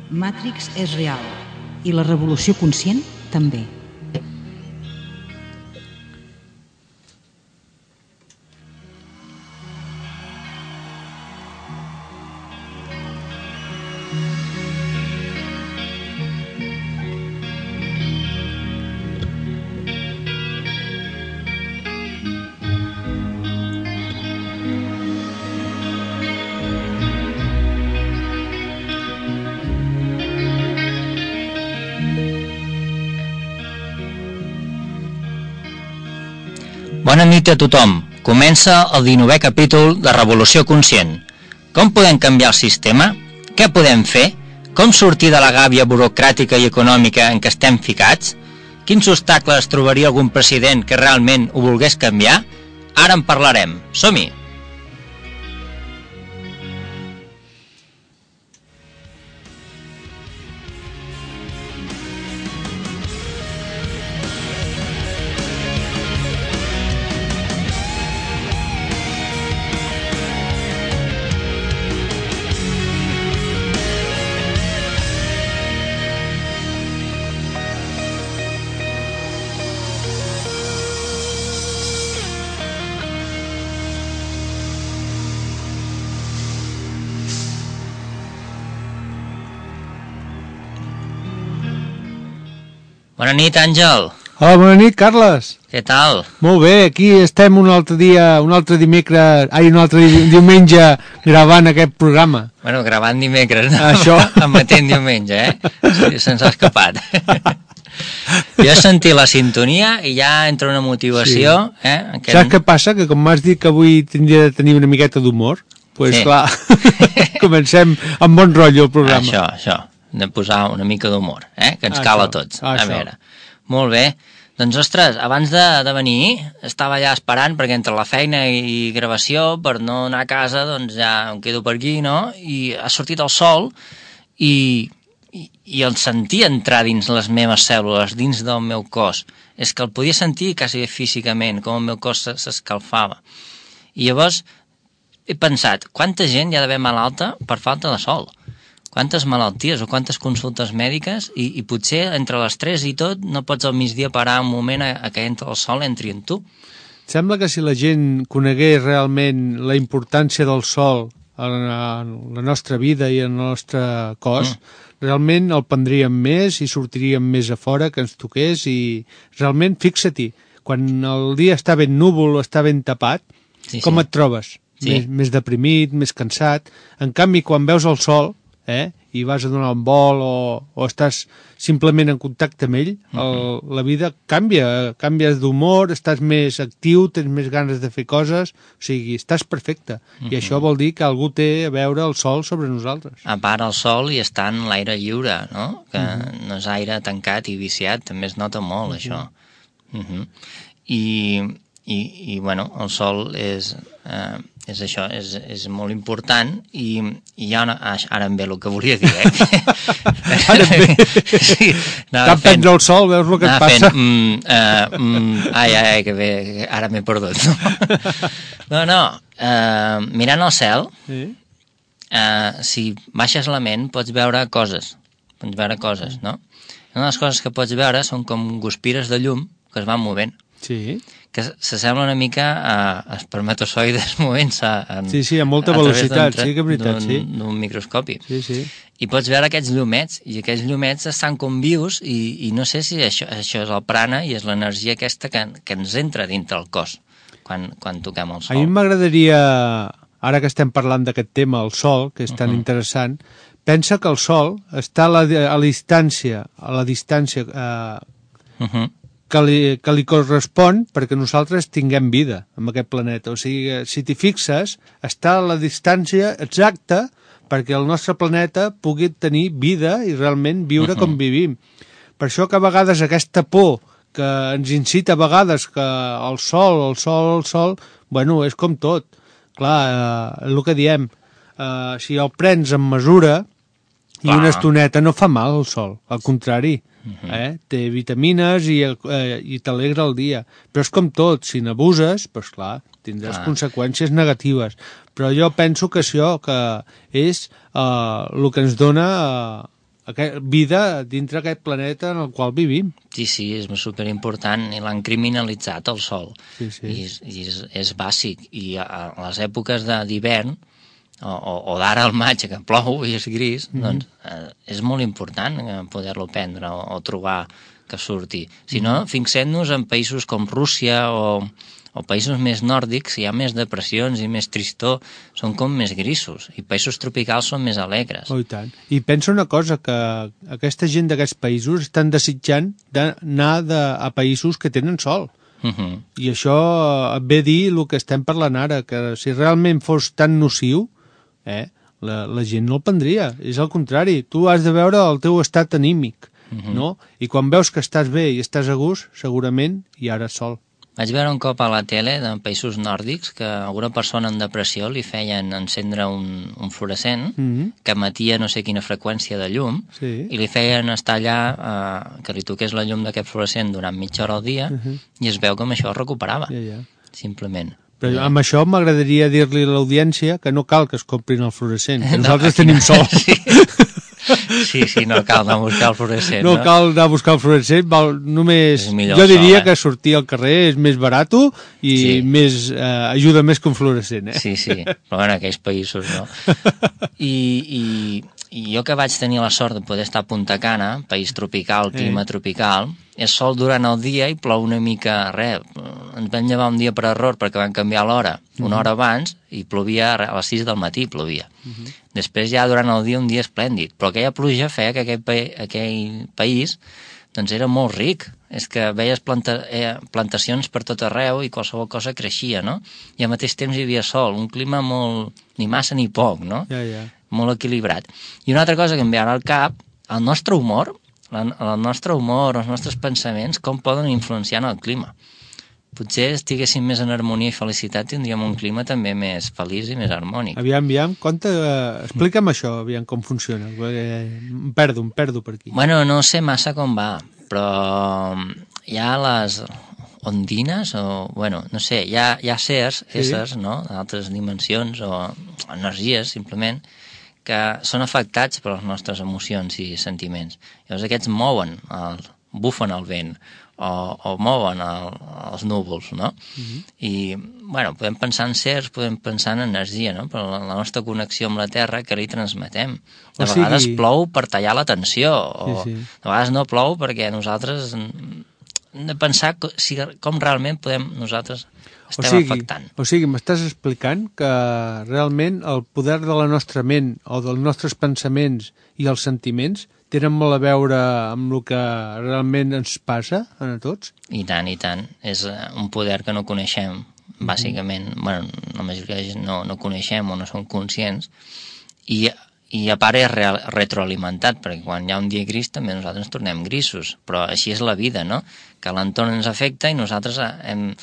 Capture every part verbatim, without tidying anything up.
Matrix és real i la revolució conscient també. Bona nit a tothom. Comença el dinovè capítol de Revolució Conscient. Com podem canviar el sistema? Què podem fer? Com sortir de la gàbia burocràtica i econòmica en què estem ficats? Quins obstacles trobaria algun president que realment ho volgués canviar? Ara en parlarem. Som-hi! Bona nit, Àngel. Hola, bona nit, Carles. Què tal? Molt bé, aquí estem un altre dia, un altre dimecres, ai, un altre diumenge gravant aquest programa. Bueno, gravant dimecres, no? Això. Emetent diumenge, eh? Sí, se'ns ha escapat. Jo he sentit la sintonia i ja entra una motivació. Sí. Eh? Aquest... Saps què passa? Que com m'has dit que avui tindria de tenir una miqueta d'humor, doncs pues, sí. Clar, comencem amb bon rotllo el programa. Això, això. De posar una mica d'humor, eh? Que ens això, cal a tots. Això. A veure, molt bé. Doncs, ostres, abans de, de venir, estava allà esperant, perquè entre la feina i gravació, per no anar a casa, doncs ja em quedo per aquí, no? I ha sortit el sol i, i, i el sentia entrar dins les meves cèl·lules, dins del meu cos. És que el podia sentir quasi físicament, com el meu cos s'escalfava. I llavors he pensat, quanta gent hi ha d'haver malalta per falta de sol? Quantes malalties o quantes consultes mèdiques i, i potser entre les tres i tot no pots al migdia parar un moment a, a que entra el sol entri en tu. Sembla que si la gent conegués realment la importància del sol en la nostra vida i en el nostre cos, mm. realment el prendríem més i sortiríem més a fora, que ens toqués i realment, fixa-t'hi, quan el dia està ben núvol o està ben tapat, sí, com sí. Et trobes? Sí. Més, més deprimit, més cansat. En canvi, quan veus el sol, eh, i vas a donar un vol o, o estàs simplement en contacte amb ell, el, uh-huh. la vida canvia, canvies d'humor, estàs més actiu, tens més ganes de fer coses, o sigui, estàs perfecte. Uh-huh. I això vol dir que algú té a veure el sol sobre nosaltres. A part el sol i estar en l'aire lliure, no? Que uh-huh. no és aire tancat i viciat, també es nota molt, uh-huh. això. Uh-huh. I, i, i, bueno, el sol és... Eh, és això, és, és molt important i, i ja una, ara em ve el que volia dir, eh? Ara em ve. Sí, Cap prendre el sol, veus el que et passa? Fent, mm, uh, mm, ai, ai, ai, que bé, ara m'he perdut. No, no, uh, mirant al cel, sí. uh, si baixes la ment pots veure coses, pots veure coses, no? Una de les coses que pots veure són com guspires de llum que es van movent. Sí. Que s'assembla una mica a espermatozoides movent-se en, sí, sí, a molta a velocitat, sí que és veritat, sí. D'un microscopi. Sí, sí. I pots veure aquests llumets, i aquests llumets estan com vius, i, i no sé si això, això és el prana i és l'energia aquesta que, que ens entra dintre el cos quan, quan toquem el sol. A mi m'agradaria, ara que estem parlant d'aquest tema, el sol, que és tan uh-huh. interessant, pensa que el sol està a la, a la distància, a la distància... Eh, uh-huh. Que li, que li correspon perquè nosaltres tinguem vida en aquest planeta. O sigui, si t'hi fixes, està a la distància exacta perquè el nostre planeta pugui tenir vida i realment viure uh-huh. com vivim. Per això que a vegades aquesta por que ens incita a vegades que el sol, el sol, el sol, bueno, és com tot. Clar, eh, el que diem, eh, si el prens amb mesura i una estoneta no fa mal el sol, al contrari. Eh? Té vitamines i, eh, i t'alegra el dia, però és com tot, si n'abuses, doncs clar, tindràs ah. conseqüències negatives, però jo penso que això que és eh, el que ens dona eh, aquest, vida dintre aquest planeta en el qual vivim. Sí, sí, és superimportant i l'han criminalitzat el sol. Sí, sí. I, és, i és, és bàsic. I a, a les èpoques d'hivern o, o, o d'ara al maig que plou i és gris, mm-hmm. doncs eh, és molt important poder-lo prendre o, o trobar que surti. Si no, mm-hmm. fixem-nos en països com Rússia o, o països més nòrdics, hi ha més depressions i més tristor, són com més grisos, i països tropicals són més alegres. Oh, i tant. I pensa una cosa, que aquesta gent d'aquests països estan desitjant d'anar de, a països que tenen sol. Uh-huh. I això et ve a dir el que estem parlant ara, que si realment fos tan nociu, eh, la, la gent no el prendria. És al contrari, tu has de veure el teu estat anímic, uh-huh. no? I quan veus que estàs bé i estàs a gust, segurament hi ha sol. Vaig veure un cop a la tele de països nòrdics que a alguna persona en depressió li feien encendre un, un fluorescent mm-hmm. que emetia no sé quina freqüència de llum sí. i li feien estar allà eh, que li toqués la llum d'aquest fluorescent durant mitja hora al dia uh-huh. i es veu com això es recuperava, ja, ja. simplement. Però ja. amb això m'agradaria dir-li a l'audiència que no cal que es comprin el fluorescent, que nosaltres no, tenim sol. Sí. Sí, sí, no cal anar a buscar el fluorescent. No, no? cal anar a buscar el fluorescent, val, només... Jo diria sol, eh? que sortir al carrer és més barat i sí. més, eh, ajuda més que un fluorescent. Eh? Sí, sí, però en aquells països no. I, i, I jo que vaig tenir la sort de poder estar a Punta Cana, país tropical, clima eh. tropical, és sol durant el dia i plou una mica, res, ens vam llevar un dia per error perquè van canviar l'hora, una uh-huh. hora abans, i plovia a les sis del matí, plovia. Uh-huh. Després ja durant el dia un dia esplèndid, però aquella pluja feia que aquell, pa aquell país doncs era molt ric, és que veies planta eh, plantacions per tot arreu i qualsevol cosa creixia, no? I al mateix temps hi havia sol, un clima molt, ni massa ni poc, no? Ja, ja. Molt equilibrat. I una altra cosa que em ve ara al cap, el nostre humor, la, el nostre humor, els nostres pensaments, com poden influenciar en el clima. Potser estiguéssim més en harmonia i felicitat, tindríem un clima també més feliç i més harmònic. Aviam, aviam, conta, uh, explica'm això, aviam com funciona, perquè em perdo, em perdo per aquí. Bueno, no sé massa com va, però hi ha les ondines, o, bueno, no sé, hi ha, hi ha sers, sí. éssers, no?, d'altres dimensions, o energies, simplement, que són afectats per les nostres emocions i sentiments. Llavors aquests mouen, el, bufen el vent, o, o mouen el, els núvols, no? Uh-huh. I, bueno, podem pensar en sers, podem pensar en energia, no? Però la, la nostra connexió amb la Terra, que li transmetem. De o vegades sigui... plou per tallar la tensió, o sí, sí. de vegades no plou perquè nosaltres hem de pensar si, com realment podem nosaltres estem o sigui, afectant. O sigui, m'estàs explicant que realment el poder de la nostra ment o dels nostres pensaments i els sentiments tenen molt a veure amb el que realment ens passa a tots? I tant, i tant. És un poder que no coneixem, bàsicament. Mm. Bueno, la majoria de gent no, no coneixem o no som conscients. I, i a part és real, retroalimentat, perquè quan hi ha un dia gris també nosaltres ens tornem grisos. Però així és la vida, no? Que l'entorn ens afecta i nosaltres hem,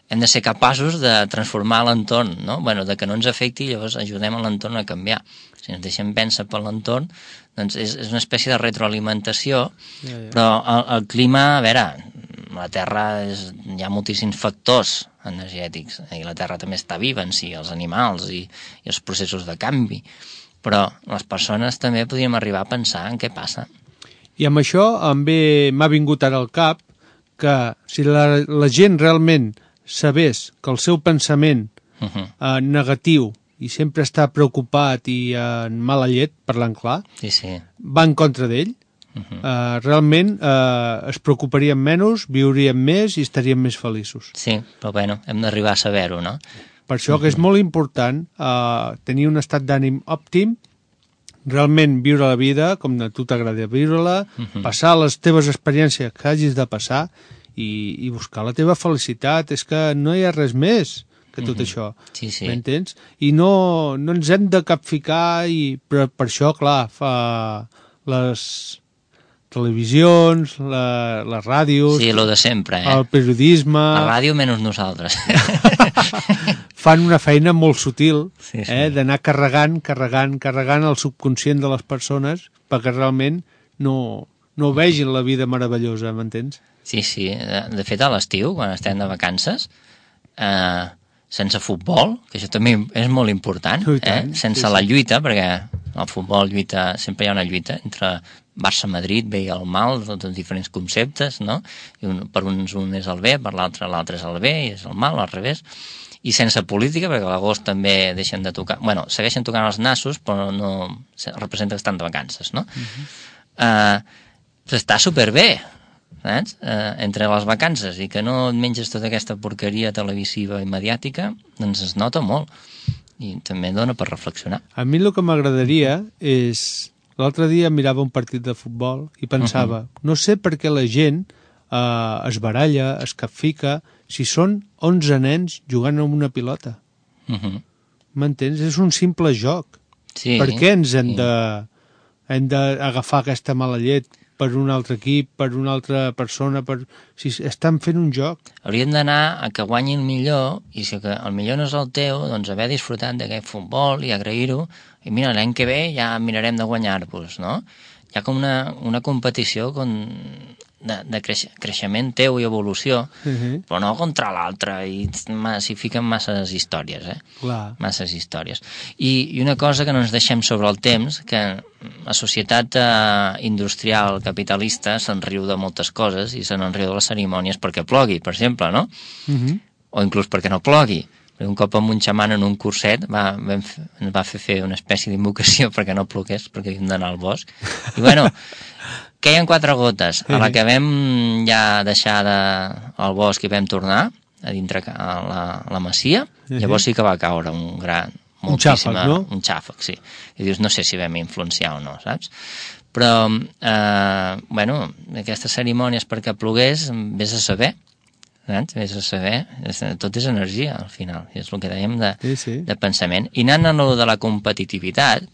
hem de ser capaços de transformar l'entorn, no? Bueno, de que no ens afecti i llavors ajudem a l'entorn a canviar. Si ens deixem vèncer per l'entorn, doncs és, és una espècie de retroalimentació, ja, ja. però el, el clima, a veure, la Terra és, hi ha moltíssims factors energètics, i la Terra també està viva en si, els animals i, i els processos de canvi, però les persones també podríem arribar a pensar en què passa. I amb això m'ha vingut ara al cap que si la, la gent realment sabés que el seu pensament uh-huh. eh, negatiu i sempre està preocupat i en mala llet, parlant clar, sí, sí. va en contra d'ell, uh-huh. eh, realment eh, es preocuparien menys, viurien més i estarien més feliços. Sí, però bueno, hem d'arribar a saber-ho, no? Per això uh-huh. que és molt important eh, tenir un estat d'ànim òptim, realment viure la vida com a tu t'agrada viure-la, uh-huh. passar les teves experiències que hagis de passar i, i buscar la teva felicitat. És que no hi ha res més que tot mm-hmm. això, sí, sí. m'entens? I no, no ens hem de capficar, i, però per això, clar, fa les televisions, la, les ràdios... Sí, lo de sempre, eh? El periodisme... La ràdio menys nosaltres. Fan una feina molt sutil, sí, sí. eh? d'anar carregant, carregant, carregant el subconscient de les persones perquè realment no, no vegin la vida meravellosa, m'entens? Sí, sí. De, de fet, a l'estiu, quan estem de vacances... Eh, sense futbol, que això també és molt important, eh? sense sí, sí. la lluita, perquè El futbol lluita, sempre hi ha una lluita entre Barça-Madrid, bé i el mal, tots els diferents conceptes, no? I un, per uns un és el bé, per l'altre l'altre és el bé i és el mal, al revés. I sense política, perquè a l'agost també deixen de tocar... Bueno, segueixen tocant els nassos, però no representa que estan de vacances, no? Uh-huh. uh, està superbé, saps? Uh, entre les vacances i que no et menges tota aquesta porqueria televisiva i mediàtica, doncs es nota molt. I també dona per reflexionar. A mi el que m'agradaria és... L'altre dia mirava un partit de futbol i pensava, uh-huh. no sé per què la gent uh, es baralla, es capfica, si són onze nens jugant amb una pilota. Uh-huh. M'entens? És un simple joc. Sí, per què ens hem sí. de hem d'agafar aquesta mala llet per un altre equip, per una altra persona, per... si estan fent un joc? Hauríem d'anar a que guanyi el millor, i si que el millor no és el teu, doncs haver disfrutat d'aquest futbol i agrair-ho, i mira, l'any que ve ja mirarem de guanyar-vos, no? Hi ha com una, una competició con... de, de creix, creixement teu i evolució, uh-huh. però no contra l'altre, i s'hi fiquen masses històries, eh? Clar. Masses històries. I, I una cosa que no ens deixem sobre el temps, que la societat eh, industrial capitalista se'n riu de moltes coses i se'n riu de les cerimònies perquè plogui, per exemple, no? Uh-huh. O inclús perquè no plogui. Un cop amb un xaman en un curset va, vam, ens va fer fer una espècie d'invocació perquè no plogués, perquè havíem d'anar al bosc. I bueno, queien quatre gotes. A la que vam ja deixar de, al bosc i vam tornar a dintre a la, a la masia, llavors sí que va caure un gran... Un xàfec, no? Un xàfec, sí. I dius, no sé si vam influenciar o no, saps? Però, eh, bueno, aquestes cerimònies perquè plogués, vés a saber, saps? Vés a saber, tot és energia al final, i és el que dèiem de, sí, sí. de pensament. I anant a lo de la competitivitat,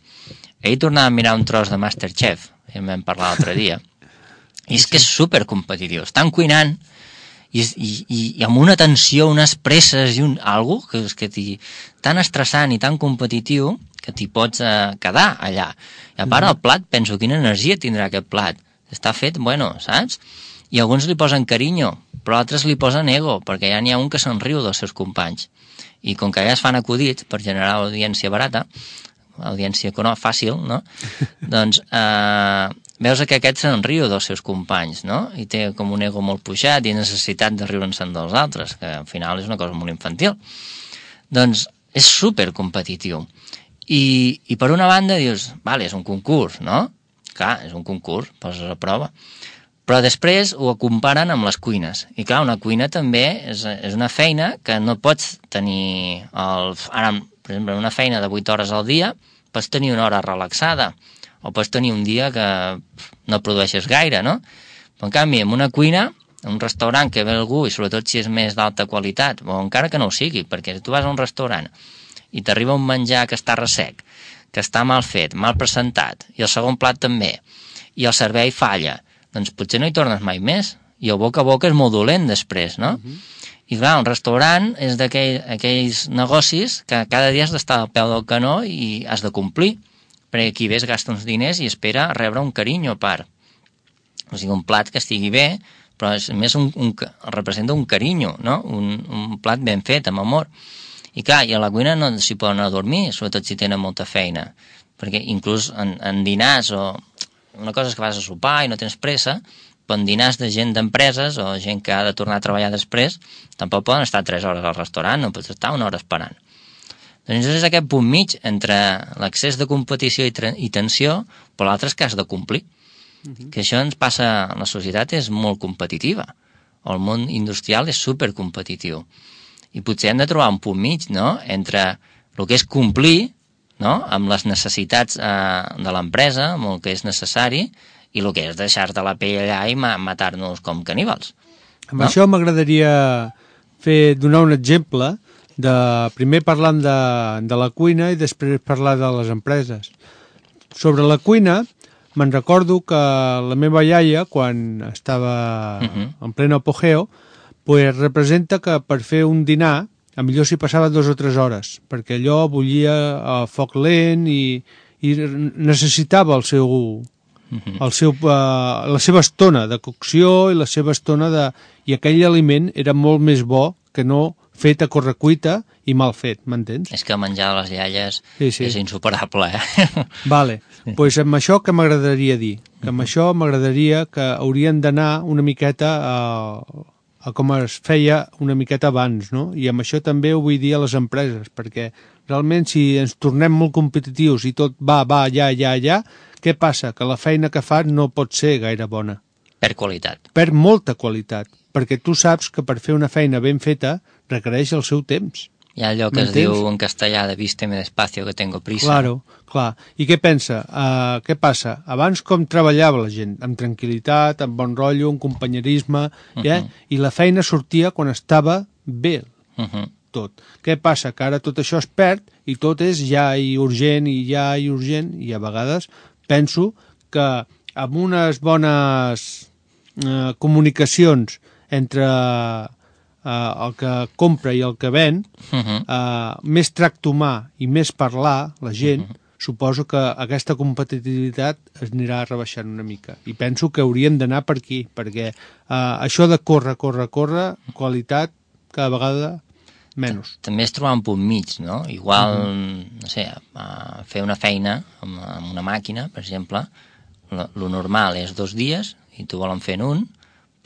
ahir tornava a mirar un tros de Masterchef, ja en vam parlar l'altre dia, i és que és supercompetitiu, estan cuinant i, i, i, i amb una tensió, unes presses i un algo que és que t'hi, tan estressant i tan competitiu que t'hi pots eh, quedar allà. I a part el plat, penso, quina energia tindrà aquest plat, està fet, bueno, saps? I alguns li posen carinyo, però altres li posen ego, perquè ja n'hi ha un que se'n riu dels seus companys. I com que ja es fan acudits per generar audiència barata, audiència no, fàcil, no? doncs eh, veus que aquest se'n riu dels seus companys, no? I té com un ego molt pujat i necessitat de riure'n-se'n dels altres, que al final és una cosa molt infantil. Doncs és supercompetitiu. I, I per una banda dius, vale, és un concurs, no? Clar, és un concurs, poses a prova. Però després ho comparen amb les cuines. I clar, una cuina també és, és una feina que no pots tenir... El, ara, per exemple, una feina de vuit hores al dia, pots tenir una hora relaxada, o pots tenir un dia que no produeixes gaire, no? Però en canvi, en una cuina, en un restaurant que ve algú, i sobretot si és més d'alta qualitat, o encara que no ho sigui, perquè si tu vas a un restaurant i t'arriba un menjar que està ressec, que està mal fet, mal presentat, i el segon plat també, i el servei falla, doncs potser no hi tornes mai més, i el boca a boca és molt dolent després, no? Uh-huh. I clar, un restaurant és d'aquells negocis que cada dia has d'estar al peu del canó i has de complir, perquè qui ves gasta uns diners i espera rebre un carinyo a part. O sigui, un plat que estigui bé, però és més un, un, representa un carinyo, no? Un, un plat ben fet, amb amor. I clar, i a la cuina no s'hi poden anar a dormir, sobretot si tenen molta feina, perquè inclús en, en dinars o... Una cosa és que vas a sopar i no tens pressa, però en dinars de gent d'empreses o gent que ha de tornar a treballar després, tampoc poden estar tres hores al restaurant, no pots estar una hora esperant. Doncs és aquest punt mig entre l'accés de competició i, i tensió, però l'altre és que has de complir. Uh-huh. Que això ens passa... La societat és molt competitiva, o el món industrial és supercompetitiu. I potser hem de trobar un punt mig, no?, entre el que és complir, no?, amb les necessitats eh, de l'empresa, amb el que és necessari, i el que és deixar-te la pell allà i ma- matar-nos com caníbals. Amb no? això m'agradaria fer donar un exemple, de primer parlant de, de la cuina i després parlar de les empreses. Sobre la cuina, me'n recordo que la meva iaia, quan estava uh-huh. en pleno apogeo, pues representa que per fer un dinar a millor s'hi passava dues o tres hores, perquè allò bullia a foc lent i, i necessitava el seu, el seu, uh, la seva estona de cocció i la seva estona de... I aquell aliment era molt més bo que no fet a correcuita i mal fet, m'entens? És que menjar les iaies sí, sí. és insuperable, eh? Vale, doncs pues amb això que m'agradaria dir? Que amb això m'agradaria que haurien d'anar una miqueta a, a com es feia una miqueta abans, no? I amb això també ho vull dir a les empreses, perquè realment si ens tornem molt competitius i tot va, va, ja, ja, ja, què passa? Que la feina que fas no pot ser gaire bona. Per qualitat. Per molta qualitat, perquè tu saps que per fer una feina ben feta requereix el seu temps. Hi ha allò que es diu en castellà de vísteme despacio que tengo prisa. Claro, clar. I què pensa? Uh, què passa? Abans com treballava la gent? Amb tranquil·litat, amb bon rotllo, amb companyerisme, uh -huh. eh? I la feina sortia quan estava bé, uh -huh. tot. Què passa? Que ara tot això es perd i tot és ja i urgent i ja i urgent i a vegades penso que amb unes bones uh, comunicacions entre Uh, el que compra i el que ven, uh -huh. uh, més tracte humà i més parlar, la gent, uh -huh. suposo que aquesta competitivitat es anirà rebaixant una mica. I penso que hauríem d'anar per aquí, perquè uh, això de córrer, córrer, córrer, qualitat, cada vegada menys. També és trobar un punt mig, no? Igual, uh -huh. no sé, uh, fer una feina amb, amb una màquina, per exemple, lo, lo normal és dos dies i tu volen fer en un,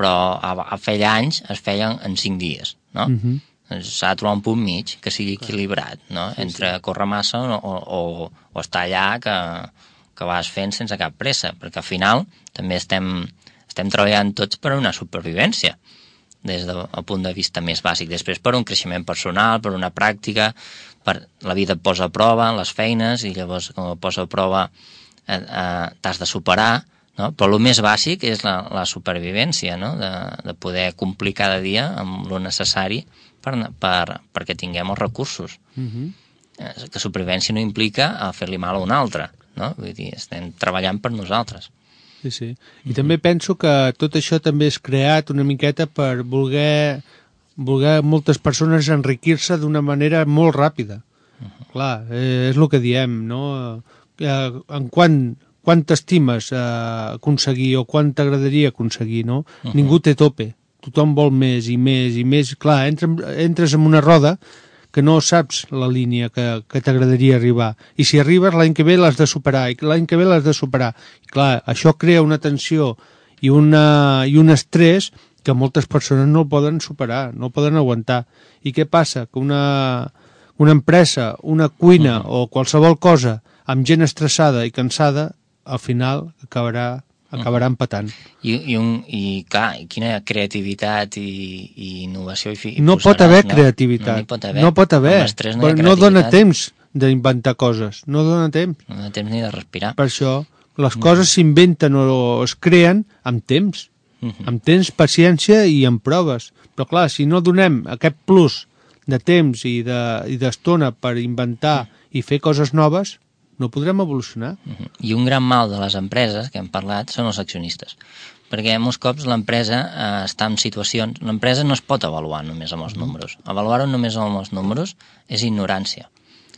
però a, a feia anys es feien en cinc dies, no? Uh-huh. S'ha de trobar un punt mig que sigui equilibrat, no? Sí, entre sí. Córrer massa o, o, o estar allà que, que vas fent sense cap pressa, perquè al final també estem, estem treballant tots per una supervivència, des del punt de vista més bàsic. Després per un creixement personal, per una pràctica, per la vida et posa a prova, les feines, i llavors com et posa a prova eh, eh, t'has de superar, no? Però el més bàsic és la, la supervivència, no? de, de poder complir cada dia amb el necessari per, per, perquè tinguem els recursos. Uh-huh. eh, que supervivència no implica fer-li mal a un altre, no? Vull dir, estem treballant per nosaltres. Sí, sí. I uh-huh. també penso que tot això també és creat una miqueta per voler, voler moltes persones enriquir-se d'una manera molt ràpida. Uh-huh. Clar, eh, és el que diem, no? Eh, en quant... quant t'estimes eh, aconseguir o quant t'agradaria aconseguir, no? Uh-huh. Ningú té tope, tothom vol més i més i més. Clar, entres, entres en una roda que no saps la línia que, que t'agradaria arribar. I si arribes, l'any que ve l'has de superar, i l'any que ve l'has de superar. I clar, això crea una tensió i, una, i un estrès que moltes persones no el poden superar, no el poden aguantar. I què passa? Que una, una empresa, una cuina uh-huh. o qualsevol cosa amb gent estressada i cansada, al final acabarà, acabarà empatant. I, i, un, i clar, quina creativitat i, i innovació hi posaràs, no pot haver no? creativitat, no, pot haver. no pot haver, no, no dona temps d'inventar coses, no dona temps. No dona temps ni de respirar. Per això les coses mm. s'inventen o es creen amb temps, mm-hmm. amb temps, paciència i amb proves. Però clar, si no donem aquest plus de temps i d'estona de, per inventar mm. i fer coses noves, no podrem evolucionar. Uh-huh. I un gran mal de les empreses, que hem parlat, són els accionistes. Perquè molts cops l'empresa eh, està en situacions... L'empresa no es pot avaluar només amb els números. Avaluar-ho només amb els números és ignorància.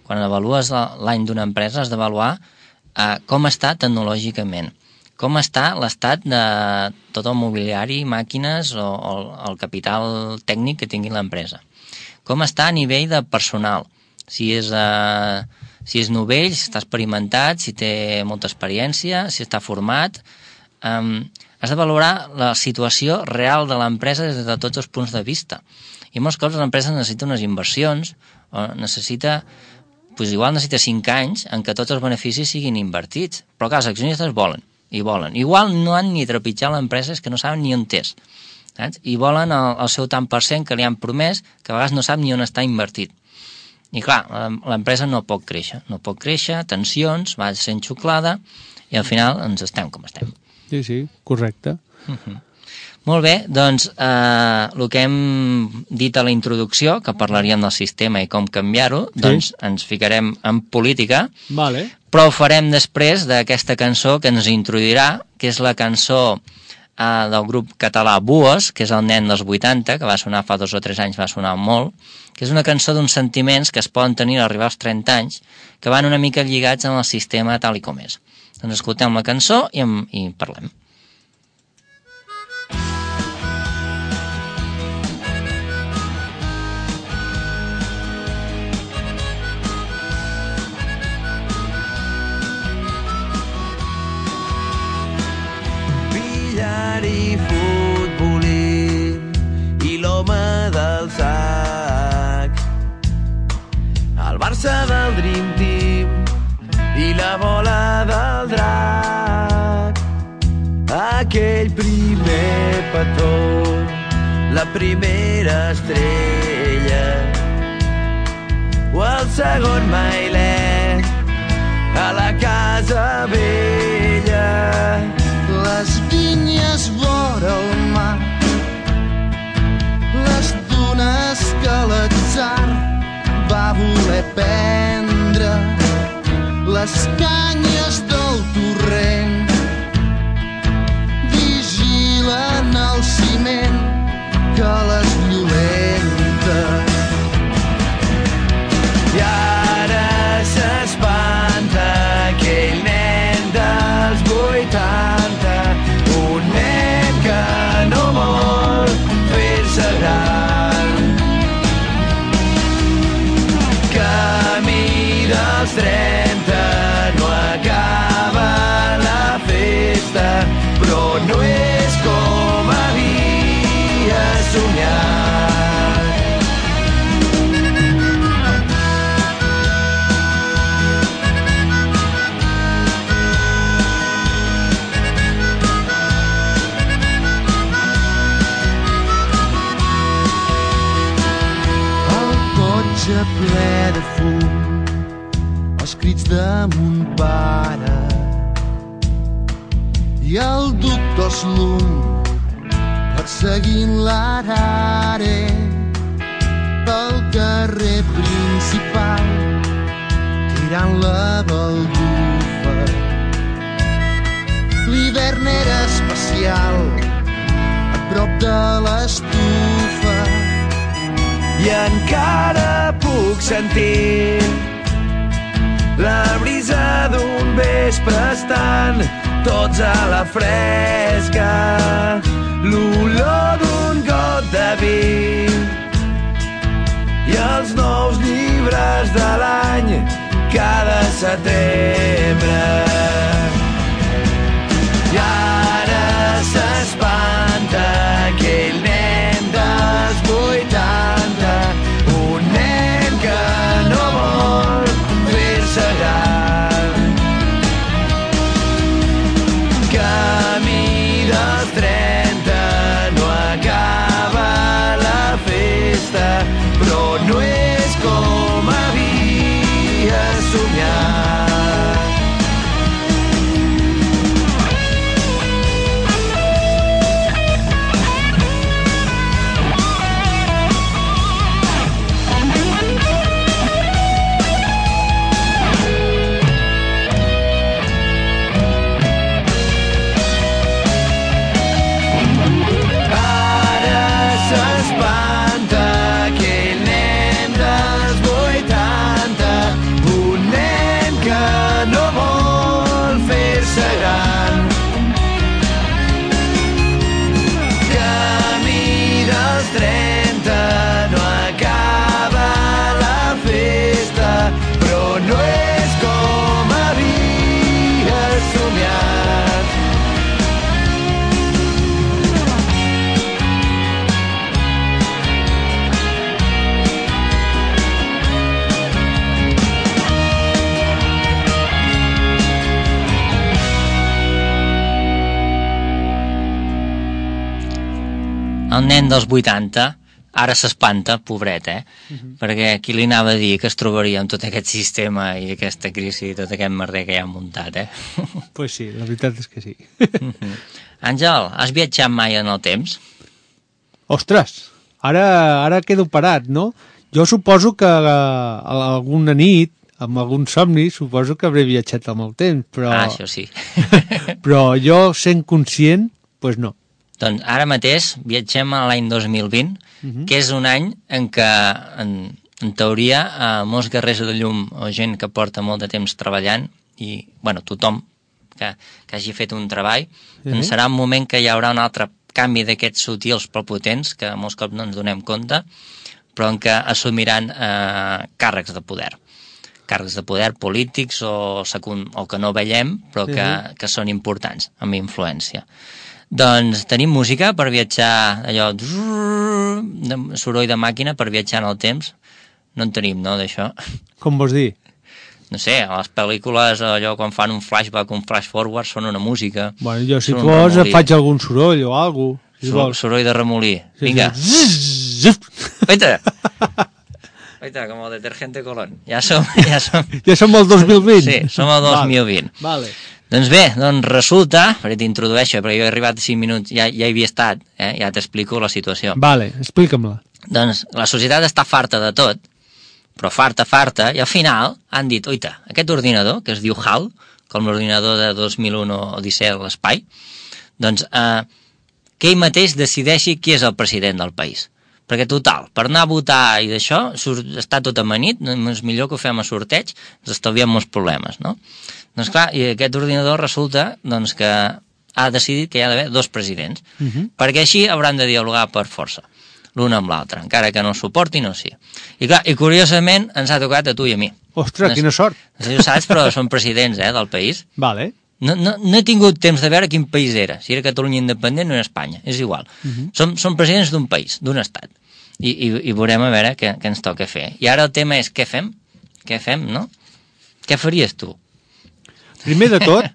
Quan avalues l'any d'una empresa has d'avaluar eh, com està tecnològicament, com està l'estat de tot el mobiliari, màquines o, o el capital tècnic que tingui l'empresa. Com està a nivell de personal, si és... Eh, si és novell, si està experimentat, si té molta experiència, si està format. Um, has de valorar la situació real de l'empresa des de tots els punts de vista. I molts cops l'empresa necessita unes inversions, o necessita, doncs igual necessita cinc anys en què tots els beneficis siguin invertits. Però clar, els accionistes volen, i volen. Igual no han ni trepitjat l'empresa, és que no saben ni on és. Saps? I volen el, el seu tant per cent que li han promès, que a vegades no sap ni on està invertit. I clar, l'empresa no pot créixer, no pot créixer, tensions, va sent xuclada i al final ens estem com estem. Sí, sí, correcte. Uh-huh. Molt bé, doncs eh, el que hem dit a la introducció, que parlaríem del sistema i com canviar-ho, sí. Doncs ens ficarem en política, vale. Però ho farem després d'aquesta cançó que ens introduirà, que és la cançó eh, del grup català Buos, que és el nen dels vuitanta, que va sonar fa dos o tres anys, va sonar molt, que és una cançó d'uns sentiments que es poden tenir a arribar als trenta anys, que van una mica lligats amb el sistema tal i com és. Doncs escoltem la cançó i, en, i parlem. diari futbolí i l'home del sac, el Barça del Dream Team i la bola del drac, aquell primer petó, la primera estrella, o el segon mailet a la casa vella. Les vinyes vora el mar, les dunes que l'atzar va voler prendre, les canyes del torrent vigilen el ciment que les violenta. I ara s'espanta aquell nen dels vuitanta, un nen que no vol fer-se gran. Camí dels trenta, no acaba la festa, però no és com havia somiat. Ple de fum, els crits de mon pare i el doctor Slum perseguint l'arare pel carrer principal, tirant la baldufa. L'hivern era especial a prop de l'estufa i encara puc sentir la brisa d'un vespre estant tots a la fresca, l'olor d'un got de vi i els nous llibres de l'any cada setembre. I ara s'espanta aquell nen dels vuitanta, un nen que no vol fer-se gran. Camí dels trenta, no acaba la festa, però no és com havia somiat. El nen dels vuitanta ara s'espanta, pobret, eh? Uh-huh. Perquè qui li anava a dir que es trobaria amb tot aquest sistema i aquesta crisi i tot aquest merder que hi ha muntat, eh? Pues sí, la veritat és que sí. Uh-huh. Àngel, has viatjat mai en el temps? Ostres, ara, ara quedo parat, no? Jo suposo que alguna nit, amb algun somni, suposo que hauré viatjat amb el temps, però... Ah, això sí. Però jo, sent conscient, doncs pues no. Doncs ara mateix viatgem a l'any dos mil vint, uh-huh. que és un any en què, en, en teoria, eh, molts guerrers de llum o gent que porta molt de temps treballant, i, bueno, tothom que, que hagi fet un treball, uh-huh. doncs serà un moment que hi haurà un altre canvi d'aquests sutils però potents, que molts cops no ens donem compte, però en què assumiran eh, càrrecs de poder. Càrrecs de poder polítics o, secund, o que no veiem, però que, uh-huh. que són importants, amb influència. Doncs tenim música per viatjar, allò, de soroll de màquina per viatjar en el temps. No en tenim, no, d'això? Com vols dir? No sé, a les pel·lícules, allò, quan fan un flashback, un flash forward, són una música. Bueno, jo, si vols, faig algun soroll o alguna cosa. Si Sor soroll de remolí. Sí, vinga. Sí. Oita! Oita, com el detergente Colón. Ja som... Ja som, ja som al dos mil vint? Sí, som al dos mil vint. Vale. Doncs bé, doncs resulta, perquè t'introdueixo, perquè jo he arribat cinc minuts, ja, ja hi havia estat, eh? Ja t'explico la situació. Vale, explica'm-la. Doncs la societat està farta de tot, però farta, farta, i al final han dit, oita, aquest ordinador, que es diu HAL, com l'ordinador de dos mil un Odissea a l'espai, doncs eh, que ell mateix decideixi qui és el president del país. Perquè, total, per anar a votar i d'això, està tot amanit, és millor que ho fem a sorteig, ens estalviem molts problemes, no? Doncs clar, i aquest ordinador resulta doncs, que ha decidit que hi ha d'haver dos presidents, uh -huh. perquè així hauran de dialogar per força, l'un amb l'altre, encara que no ho suportin o sí. I clar, i curiosament ens ha tocat a tu i a mi. Ostres, no, quina sort! No sé si ho saps, però són presidents eh, del país. Vale. No, no, no he tingut temps de veure quin país era, si era Catalunya independent o era Espanya, és igual. Uh -huh. som, som presidents d'un país, d'un estat, i, i, i veurem a veure què, què ens toca fer. I ara el tema és què fem? Què fem, no? Què faries tu? Primer de tot,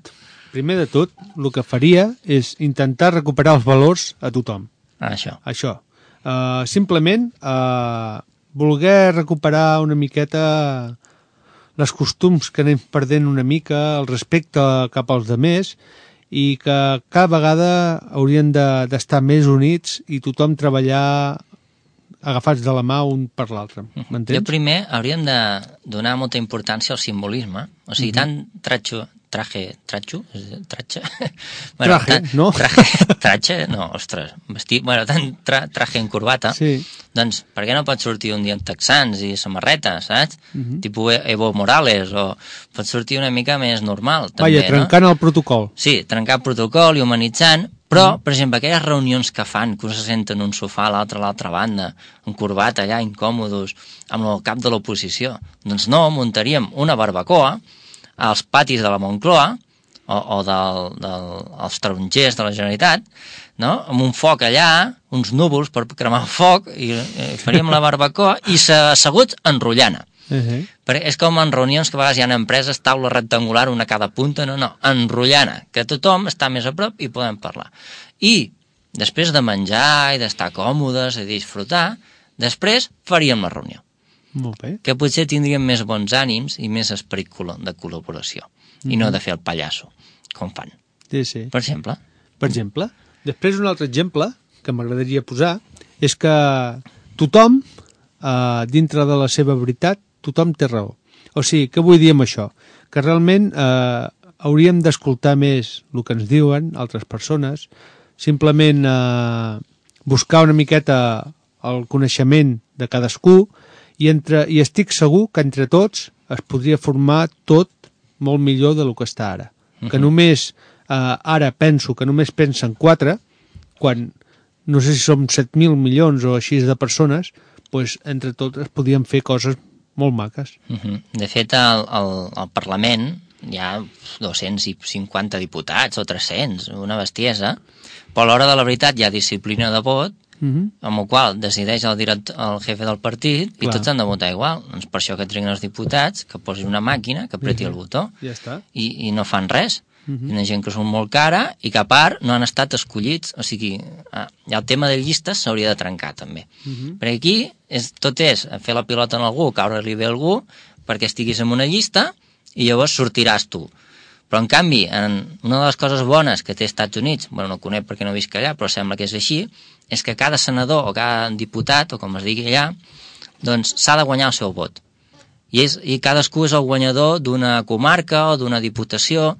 primer de tot, el que faria és intentar recuperar els valors a tothom. Ah, això. Això. Uh, simplement uh, voler recuperar una miqueta les costums que anem perdent una mica, el respecte cap als demés, i que cada vegada haurien d'estar de, més units i tothom treballar agafats de la mà un per l'altre. M'entens? Jo primer hauríem de donar molta importància al simbolisme, o sigui, uh -huh. tant tratxo, traje, tratxo, tratxa? Bueno, traje, tant, no? Traje, tratxa, no, ostres, vestit, bueno, tant tra, traje en corbata, sí. Doncs per què no pots sortir un dia en texans i samarreta, saps? Uh Mhm. -huh. Tipus Evo Morales, o pots sortir una mica més normal, també, Vaja, trencant no? el protocol. Sí, trencar el protocol i humanitzant, però, uh -huh. per exemple, aquelles reunions que fan, que un se senta en un sofà a l'altra a l'altra banda, en corbata allà, incòmodos, amb el cap de l'oposició, doncs no, muntaríem una barbacoa als patis de la Moncloa, o, o del, del, als tarongers de la Generalitat, no? Amb un foc allà, uns núvols per cremar el foc, i, i faríem la barbacoa, i asseguts enrotllant. Uh -huh. Perquè és com en reunions que a vegades hi ha empreses, taula rectangular, una a cada punta, no, no, enrotllant, que tothom està més a prop i podem parlar. I després de menjar i d'estar còmodes i disfrutar, després faríem la reunió. Molt bé. Que potser tindríem més bons ànims i més esperit de col·laboració, mm-hmm. i no de fer el pallasso, com fan. Sí, sí. Per exemple. Per exemple. Després un altre exemple que m'agradaria posar és que tothom, eh, dintre de la seva veritat, tothom té raó. O sigui, què vull dir amb això? Que realment eh, hauríem d'escoltar més el que ens diuen altres persones, simplement eh, buscar una miqueta el coneixement de cadascú, i, entre, i estic segur que entre tots es podria formar tot molt millor del que està ara. Uh-huh. Que només, eh, ara penso que només pensen quatre, quan no sé si som set mil milions o així de persones, doncs entre tots es podien fer coses molt maques. Uh-huh. De fet, al, al, al Parlament hi ha dos-cents cinquanta diputats o tres-cents, una bestiesa, però a l'hora de la veritat hi ha disciplina de vot, uh-huh. amb el qual decideix el, director, el jefe del partit, i clar, tots han de votar igual. Doncs per això que triguen els diputats, que posin una màquina, que apreti uh-huh. el botó, ja està. I, i no fan res. Uh-huh. Hi ha gent que són molt cara i que a part no han estat escollits, o sigui, ah, el tema de llistes s'hauria de trencar també. Uh-huh. Perquè aquí és, tot és fer la pilota en algú, caure-li bé a algú, perquè estiguis en una llista i llavors sortiràs tu. Però en canvi, en una de les coses bones que té Estats Units, bueno, no conec perquè no visc allà, però sembla que és així, és que cada senador o cada diputat, o com es digui allà, doncs s'ha de guanyar el seu vot. I, és, i cadascú és el guanyador d'una comarca o d'una diputació,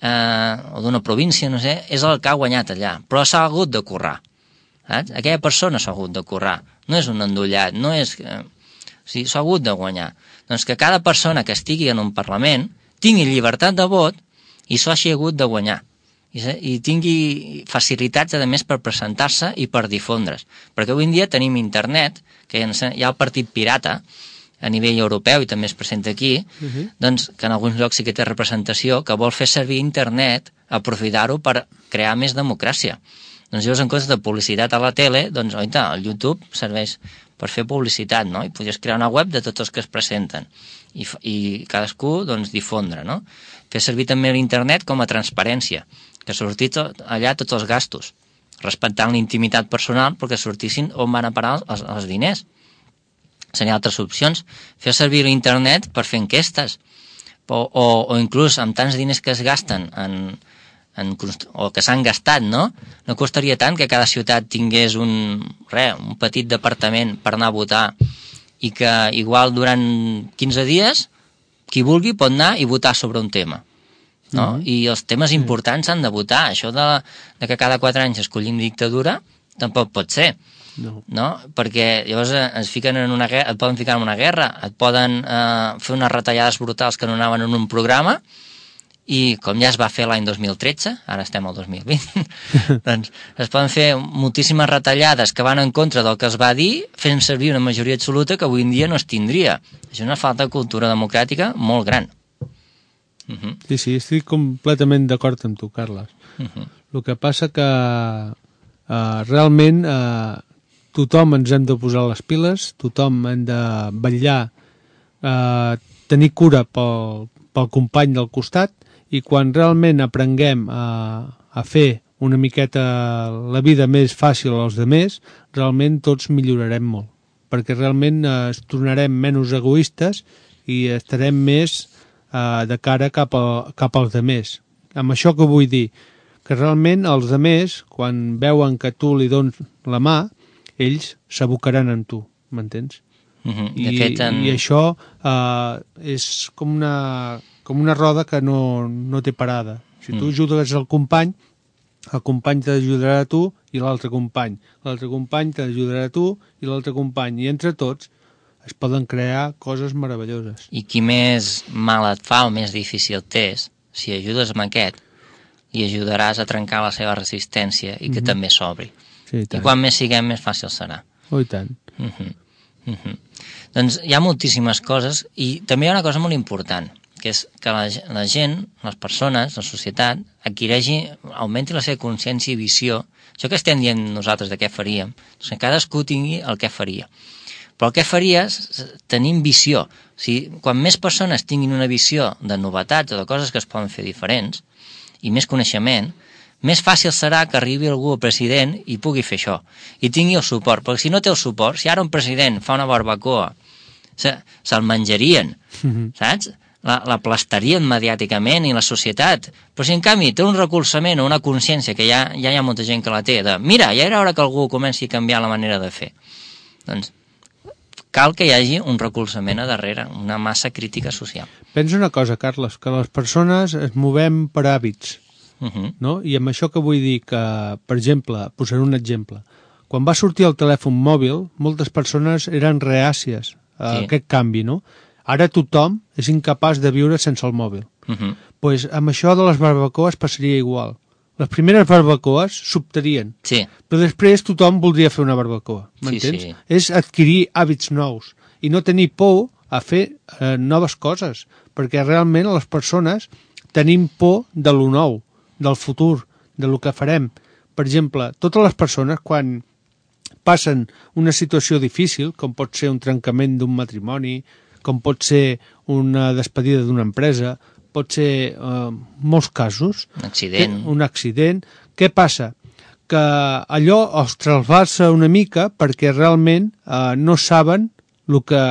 eh, o d'una província, no sé, és el que ha guanyat allà, però s'ha hagut de currar, saps? Aquella persona s'ha hagut de currar, no és un endollat, no és... Eh, o sigui, s'ha hagut de guanyar. Doncs que cada persona que estigui en un Parlament tingui llibertat de vot i s'ho hagi hagut de guanyar, i, i tingui facilitats, a més, per presentar-se i per difondre's, perquè avui en dia tenim internet, que hi ha el partit pirata a nivell europeu i també es presenta aquí, uh-huh. doncs que en alguns llocs sí que té representació, que vol fer servir internet aprofitar-ho per crear més democràcia. Doncs llavors, en comptes de publicitat a la tele, doncs, oita, el YouTube serveix per fer publicitat, no? I podries crear una web de tots els que es presenten i, i cadascú, doncs, difondre, no? Fer servir també l'internet com a transparència, que sortís allà tots els gastos, respectant la intimitat personal perquè sortissin on van a parar els, els diners. Serien altres opcions. Fer servir l'internet per fer enquestes, o, o, o inclús amb tants diners que es gasten en, en, o que s'han gastat, no? No costaria tant que cada ciutat tingués un, res, un petit departament per anar a votar i que igual durant quinze dies qui vulgui pot anar i votar sobre un tema, no? Mm-hmm. I els temes importants s'han de votar. Això de, de que cada quatre anys escollim dictadura tampoc pot ser. No. No? Perquè llavors es fiquen en una guerra, et poden ficar en una guerra, et poden eh, fer unes retallades brutals que no anaven en un programa, i com ja es va fer l'any dos mil tretze, ara estem al dos mil vint, doncs es poden fer moltíssimes retallades que van en contra del que es va dir, fent servir una majoria absoluta que avui en dia no es tindria. Això és una falta de cultura democràtica molt gran. Uh-huh. Sí, sí, estic completament d'acord amb tu, Carles. Uh-huh. El que passa que uh, realment uh, tothom ens hem de posar les piles, tothom hem de vetllar, uh, tenir cura pel, pel company del costat, i quan realment aprenguem a, a fer una miqueta la vida més fàcil als altres, realment tots millorarem molt, perquè realment eh, es tornarem menys egoistes i estarem més eh, de cara cap, a, cap als altres. Amb això que vull dir, que realment els altres, quan veuen que tu li dones la mà, ells s'abocaran en tu, m'entens? Uh-huh. I, de fet, en... i això eh, és com una... com una roda que no, no té parada. Si tu ajudes al company, el company t'ajudarà a tu i l'altre company. L'altre company t'ajudarà a tu i l'altre company. I entre tots es poden crear coses meravelloses. I qui més mal et fa o més difícil t'és, si ajudes amb aquest, li ajudaràs a trencar la seva resistència i que mm-hmm. també s'obri. Sí, i quan més siguem, més fàcil serà. Oh, i tant. Mm-hmm. Mm-hmm. Doncs hi ha moltíssimes coses i també hi ha una cosa molt important, que és que la, la gent, les persones, la societat, adquireixi, augmenti la seva consciència i visió. Això que estem dient nosaltres de què faríem, doncs que cadascú tingui el que faria. Però el que faries tenim visió. O sigui, quan més persones tinguin una visió de novetats o de coses que es poden fer diferents, i més coneixement, més fàcil serà que arribi algú al president i pugui fer això, i tingui el suport. Perquè si no té el suport, si ara un president fa una barbacoa, se, se'l menjarien, mm-hmm. saps? La, la plastarien mediàticament i la societat, però si en canvi té un recolzament o una consciència que ja, ja hi ha molta gent que la té, de mira, ja era hora que algú comenci a canviar la manera de fer, doncs cal que hi hagi un recolzament a darrere, una massa crítica social. Pensa una cosa, Carles, que les persones es movem per hàbits, uh-huh. no? I amb això que vull dir que, per exemple, posaré un exemple, quan va sortir el telèfon mòbil, moltes persones eren reàcies a sí. aquest canvi, no? Ara tothom és incapaç de viure sense el mòbil. Uh-huh. Pues amb això de les barbacoes passaria igual. Les primeres barbacoes s'optarien, sí. però després tothom voldria fer una barbacoa, m'entens? Sí, sí. És adquirir hàbits nous i no tenir por a fer eh, noves coses, perquè realment les persones tenim por de lo nou, del futur, de lo que farem. Per exemple, totes les persones quan passen una situació difícil, com pot ser un trencament d'un matrimoni, com pot ser una despedida d'una empresa, pot ser eh, molts casos. Un accident. Que, un accident. Què passa? Que allò els trasbalsa una mica perquè realment eh, no saben el que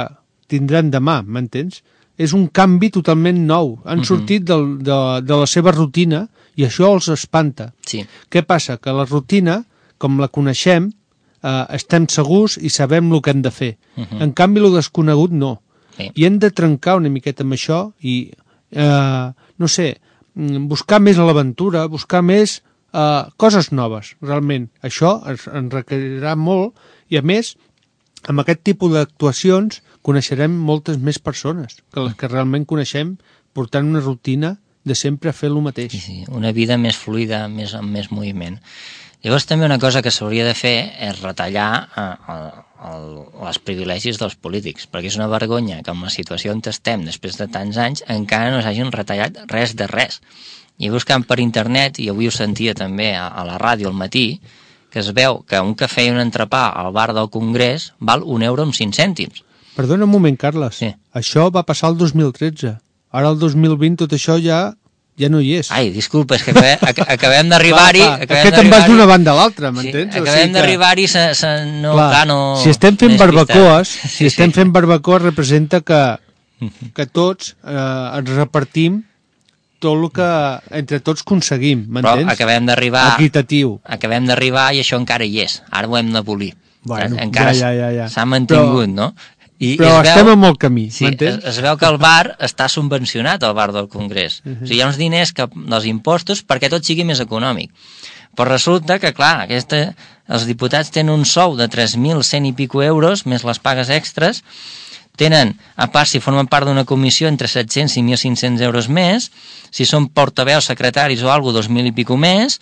tindran demà, m'entens? És un canvi totalment nou. Han uh-huh. sortit del, de, de la seva rutina i això els espanta. Sí. Què passa? Que la rutina, com la coneixem, eh, estem segurs i sabem el que hem de fer. Uh-huh. En canvi, el desconegut no. Sí. I hem de trencar una miqueta amb això i, eh, no sé, buscar més a l'aventura, buscar més eh, coses noves, realment. Això ens, ens requerirà molt i, a més, amb aquest tipus d'actuacions coneixerem moltes més persones que les que realment coneixem portant una rutina de sempre fer el mateix. Sí, sí, una vida més fluida, més, amb més moviment. Llavors també una cosa que s'hauria de fer és retallar eh, el, el, els privilegis dels polítics, perquè és una vergonya que en la situació on estem després de tants anys encara no s'hagin retallat res de res. I buscant per internet, i avui ho sentia també a, a la ràdio al matí, que es veu que un cafè i un entrepà al bar del Congrés val un euro amb cinc cèntims. Perdona un moment, Carles. Sí. Això va passar el dos mil tretze. Ara el dos mil vint tot això ja ja no hi és. Ai, disculpa, és que acabem, acabem d'arribar-hi... Aquest te'n vas d'una banda a l'altra, m'entens? Sí, acabem d'arribar-hi, se, se, no, clar, clar, no... Si estem fent barbacoes, sí, si estem sí. fent barbacoes representa que, que tots eh, ens repartim tot el que entre tots aconseguim, m'entens? Però acabem d'arribar... Equitatiu. Acabem d'arribar i això encara hi és. Ara ho hem d'abolir. Bueno, encara ja, ja, ja, ja. s'ha mantingut, però, no? I, però i estem veu, en molt camí, sí, m'entens? Es, es veu que el bar està subvencionat, el bar del Congrés. Uh -huh. O sigui, hi ha uns diners que, dels impostos perquè tot sigui més econòmic. Però resulta que, clar, aquesta, els diputats tenen un sou de tres mil cent i pico euros, més les pagues extres, tenen, a part, si formen part d'una comissió, entre set-cents i mil cinc-cents euros més, si són portaveus, secretaris o alguna cosa, dos mil i pico més,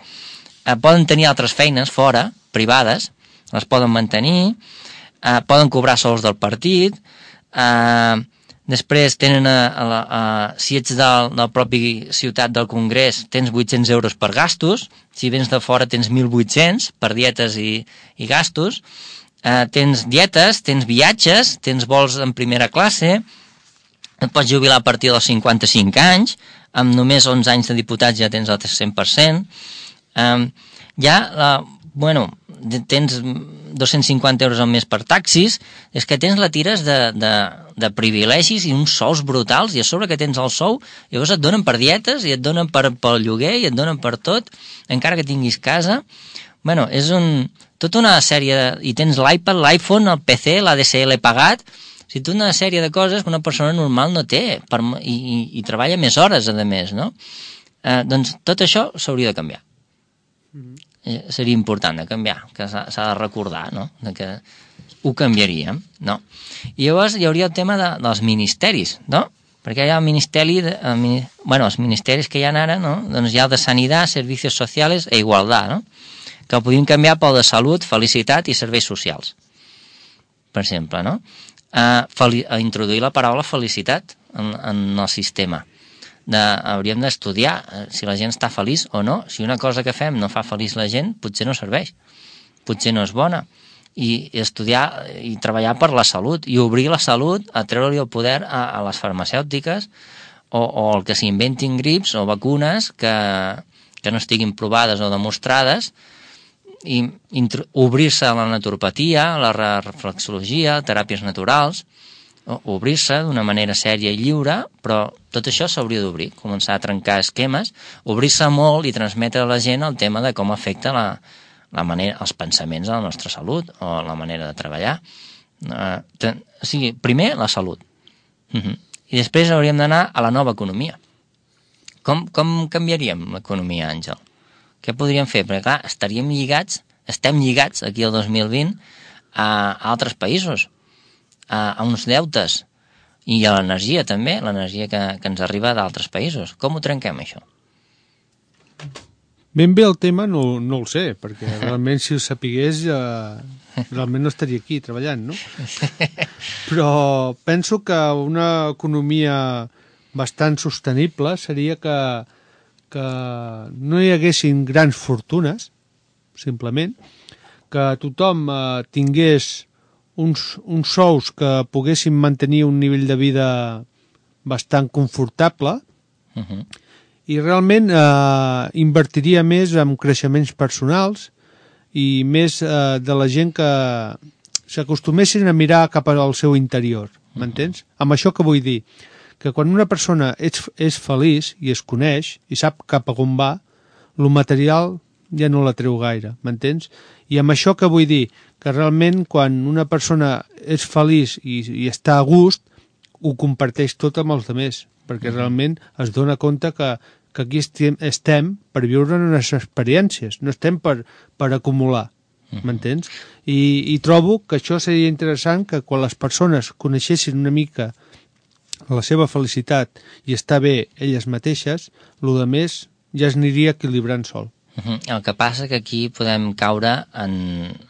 eh, poden tenir altres feines fora, privades, les poden mantenir, eh, poden cobrar sols del partit, eh, després tenen, a, a, a, a, si ets del, del propi ciutat del Congrés, tens vuit-cents euros per gastos, si vens de fora tens mil vuit-cents per dietes i, i gastos, eh, tens dietes, tens viatges, tens vols en primera classe, et pots jubilar a partir dels cinquanta-cinc anys, amb només onze anys de diputats ja tens el cent per cent, eh, ja, la, bueno, tens dos-cents cinquanta euros al mes per taxis, és que tens la tires de, de, de privilegis i uns sous brutals, i a sobre que tens el sou, llavors et donen per dietes, i et donen per, pel lloguer, i et donen per tot, encara que tinguis casa. Bueno, és un, tota una sèrie, de, i tens l'iPad, l'iPhone, el P C, l'A D S L pagat, o sigui, tota una sèrie de coses que una persona normal no té, per, i, i, i treballa més hores, a més, no? Eh, doncs tot això s'hauria de canviar. Mm-hmm. Seria important de canviar, que s'ha de recordar, no?, de que ho canviaríem, no? I llavors hi hauria el tema de, dels ministeris, no? Perquè hi ha el ministeri, de, el, bueno, els ministeris que hi ha ara, no?, doncs hi ha el de Sanitat, Servicios Sociales e Igualtat, no?, que el podríem canviar pel de Salut, Felicitat i Serveis Socials, per exemple, no? A, a introduir la paraula felicitat en, en el sistema. De, hauríem d'estudiar si la gent està feliç o no. Si una cosa que fem no fa feliç la gent, potser no serveix, potser no és bona. I, i estudiar i treballar per la salut, i obrir la salut, a treure-li el poder a, a les farmacèutiques, o, o el que s'inventin grips o vacunes que, que no estiguin provades o demostrades, i obrir-se a la naturopatia, a la reflexologia, teràpies naturals, obrir-se d'una manera sèria i lliure, però tot això s'hauria d'obrir, començar a trencar esquemes, obrir-se molt i transmetre a la gent el tema de com afecta la, la manera, els pensaments a la nostra salut o la manera de treballar. Uh, ten, o sigui, primer la salut. Uh -huh. I després hauríem d'anar a la nova economia. Com, com canviaríem l'economia, Àngel? Què podríem fer? Perquè, clar, estaríem lligats, estem lligats aquí al dos mil vint a, a altres països, a, a uns deutes, i a l'energia també, l'energia que, que ens arriba d'altres països. Com ho trenquem, això? Ben bé el tema no, no el sé, perquè realment si ho sapigués ja, realment no estaria aquí treballant, no? Però penso que una economia bastant sostenible seria que, que no hi haguessin grans fortunes, simplement, que tothom eh, tingués uns, uns sous que poguessin mantenir un nivell de vida bastant confortable, Uh-huh. i realment eh, invertiria més en creixements personals i més eh, de la gent que s'acostumessin a mirar cap al seu interior, m'entens? Uh-huh. Amb això que vull dir, que quan una persona és, és feliç i es coneix i sap cap a on va, el material ja no la treu gaire, m'entens? I amb això que vull dir, que realment quan una persona és feliç i, i està a gust, ho comparteix tot amb els altres, perquè realment es dona compte que, que aquí estem, estem per viure unes experiències, no estem per, per acumular, m'entens? I, I trobo que això seria interessant, que quan les persones coneixessin una mica la seva felicitat i estar bé elles mateixes, el de més ja es aniria equilibrant sol. Uh-huh. El que passa que aquí podem caure en,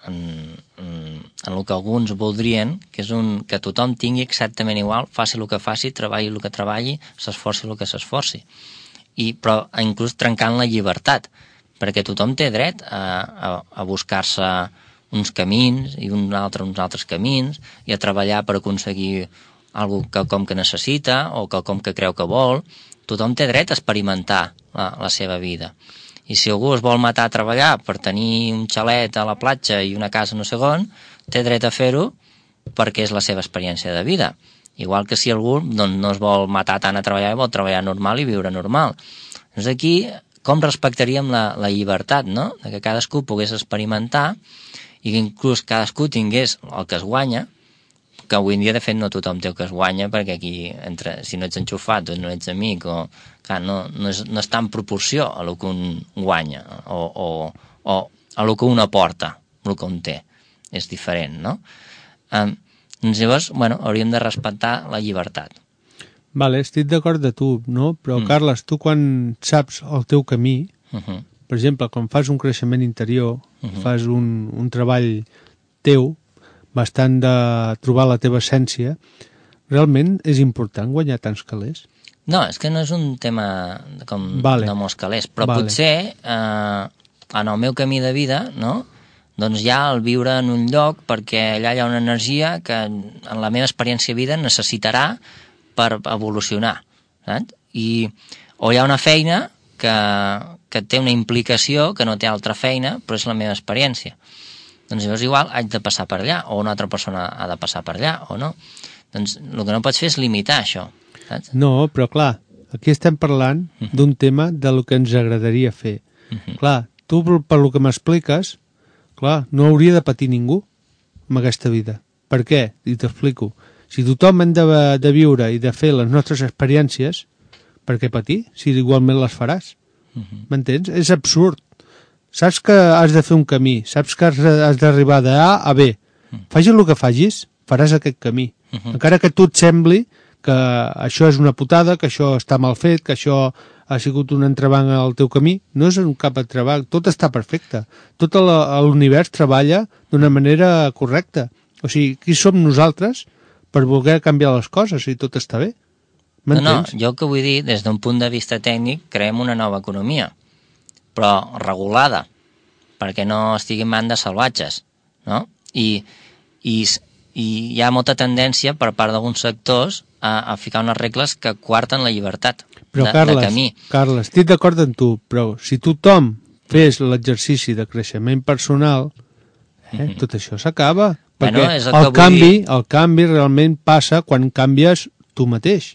en, en, en el que alguns voldrien, que és un, que tothom tingui exactament igual, faci el que faci, treballi el que treballi, s'esforci el que s'esforci. i, però inclús trencant la llibertat, perquè tothom té dret a, a, a buscar-se uns camins i un altre, uns altres camins i a treballar per aconseguir algo quelcom que necessita o quelcom que creu que vol. Tothom té dret a experimentar la, la seva vida. I si algú es vol matar a treballar per tenir un xalet a la platja i una casa no sé on, té dret a fer-ho perquè és la seva experiència de vida. Igual que si algú doncs, no es vol matar tant a treballar i vol treballar normal i viure normal. Doncs aquí, com respectaríem la, la llibertat, no? De que cadascú pogués experimentar i que inclús cadascú tingués el que es guanya, que avui en dia, de fet, no tothom té el que es guanya, perquè aquí, entre, si no ets enxufat o no ets amic, o, clar, no, no, és, no està en proporció a el que un guanya, o, o, o a el que un aporta, el que un té. És diferent, no? Um, doncs llavors, bueno, hauríem de respectar la llibertat. Vale, estic d'acord de tu, no? Però, mm. Carles, tu quan saps el teu camí, uh-huh. per exemple, quan fas un creixement interior, uh-huh. fas un, un treball teu, bastant de trobar la teva essència, realment és important guanyar tants calés? No, és que no és un tema com vale. de molts calés, però vale. potser eh, en el meu camí de vida, no?, doncs ja el viure en un lloc perquè allà hi ha una energia que en la meva experiència de vida necessitarà per evolucionar, saps? I, o hi ha una feina que, que té una implicació que no té altra feina, però és la meva experiència. Doncs llavors igual haig de passar per allà, o una altra persona ha de passar per allà, o no. Doncs el que no pots fer és limitar això, saps? No, però clar, aquí estem parlant uh-huh. d'un tema de lo que ens agradaria fer. Uh-huh. Clar, tu per lo que m'expliques, clar, no hauria de patir ningú amb aquesta vida. Per què? I t'explico. Si tothom hem de, de viure i de fer les nostres experiències, per què patir? Si igualment les faràs. Uh-huh. M'entens? És absurd. Saps que has de fer un camí, saps que has d'arribar de A a B. Uh-huh. Facis el que facis, faràs aquest camí. Uh-huh. Encara que a tu et sembli que això és una putada, que això està mal fet, que això ha sigut un entrebanc al teu camí, no és un cap entrebanc, tot està perfecte. Tot l'univers treballa d'una manera correcta. O sigui, qui som nosaltres per voler canviar les coses si tot està bé? No, no, jo el que vull dir, des d'un punt de vista tècnic, creem una nova economia, però regulada, perquè no estigui en mans de salvatges, no? I, i, i hi ha molta tendència per part d'alguns sectors a, a ficar unes regles que coarten la llibertat però, de, Carles, de camí. Carles, estic d'acord amb tu, però si tothom fes l'exercici de creixement personal, eh, mm-hmm. tot això s'acaba. Perquè bueno, el, el, canvi, el canvi realment passa quan canvies tu mateix.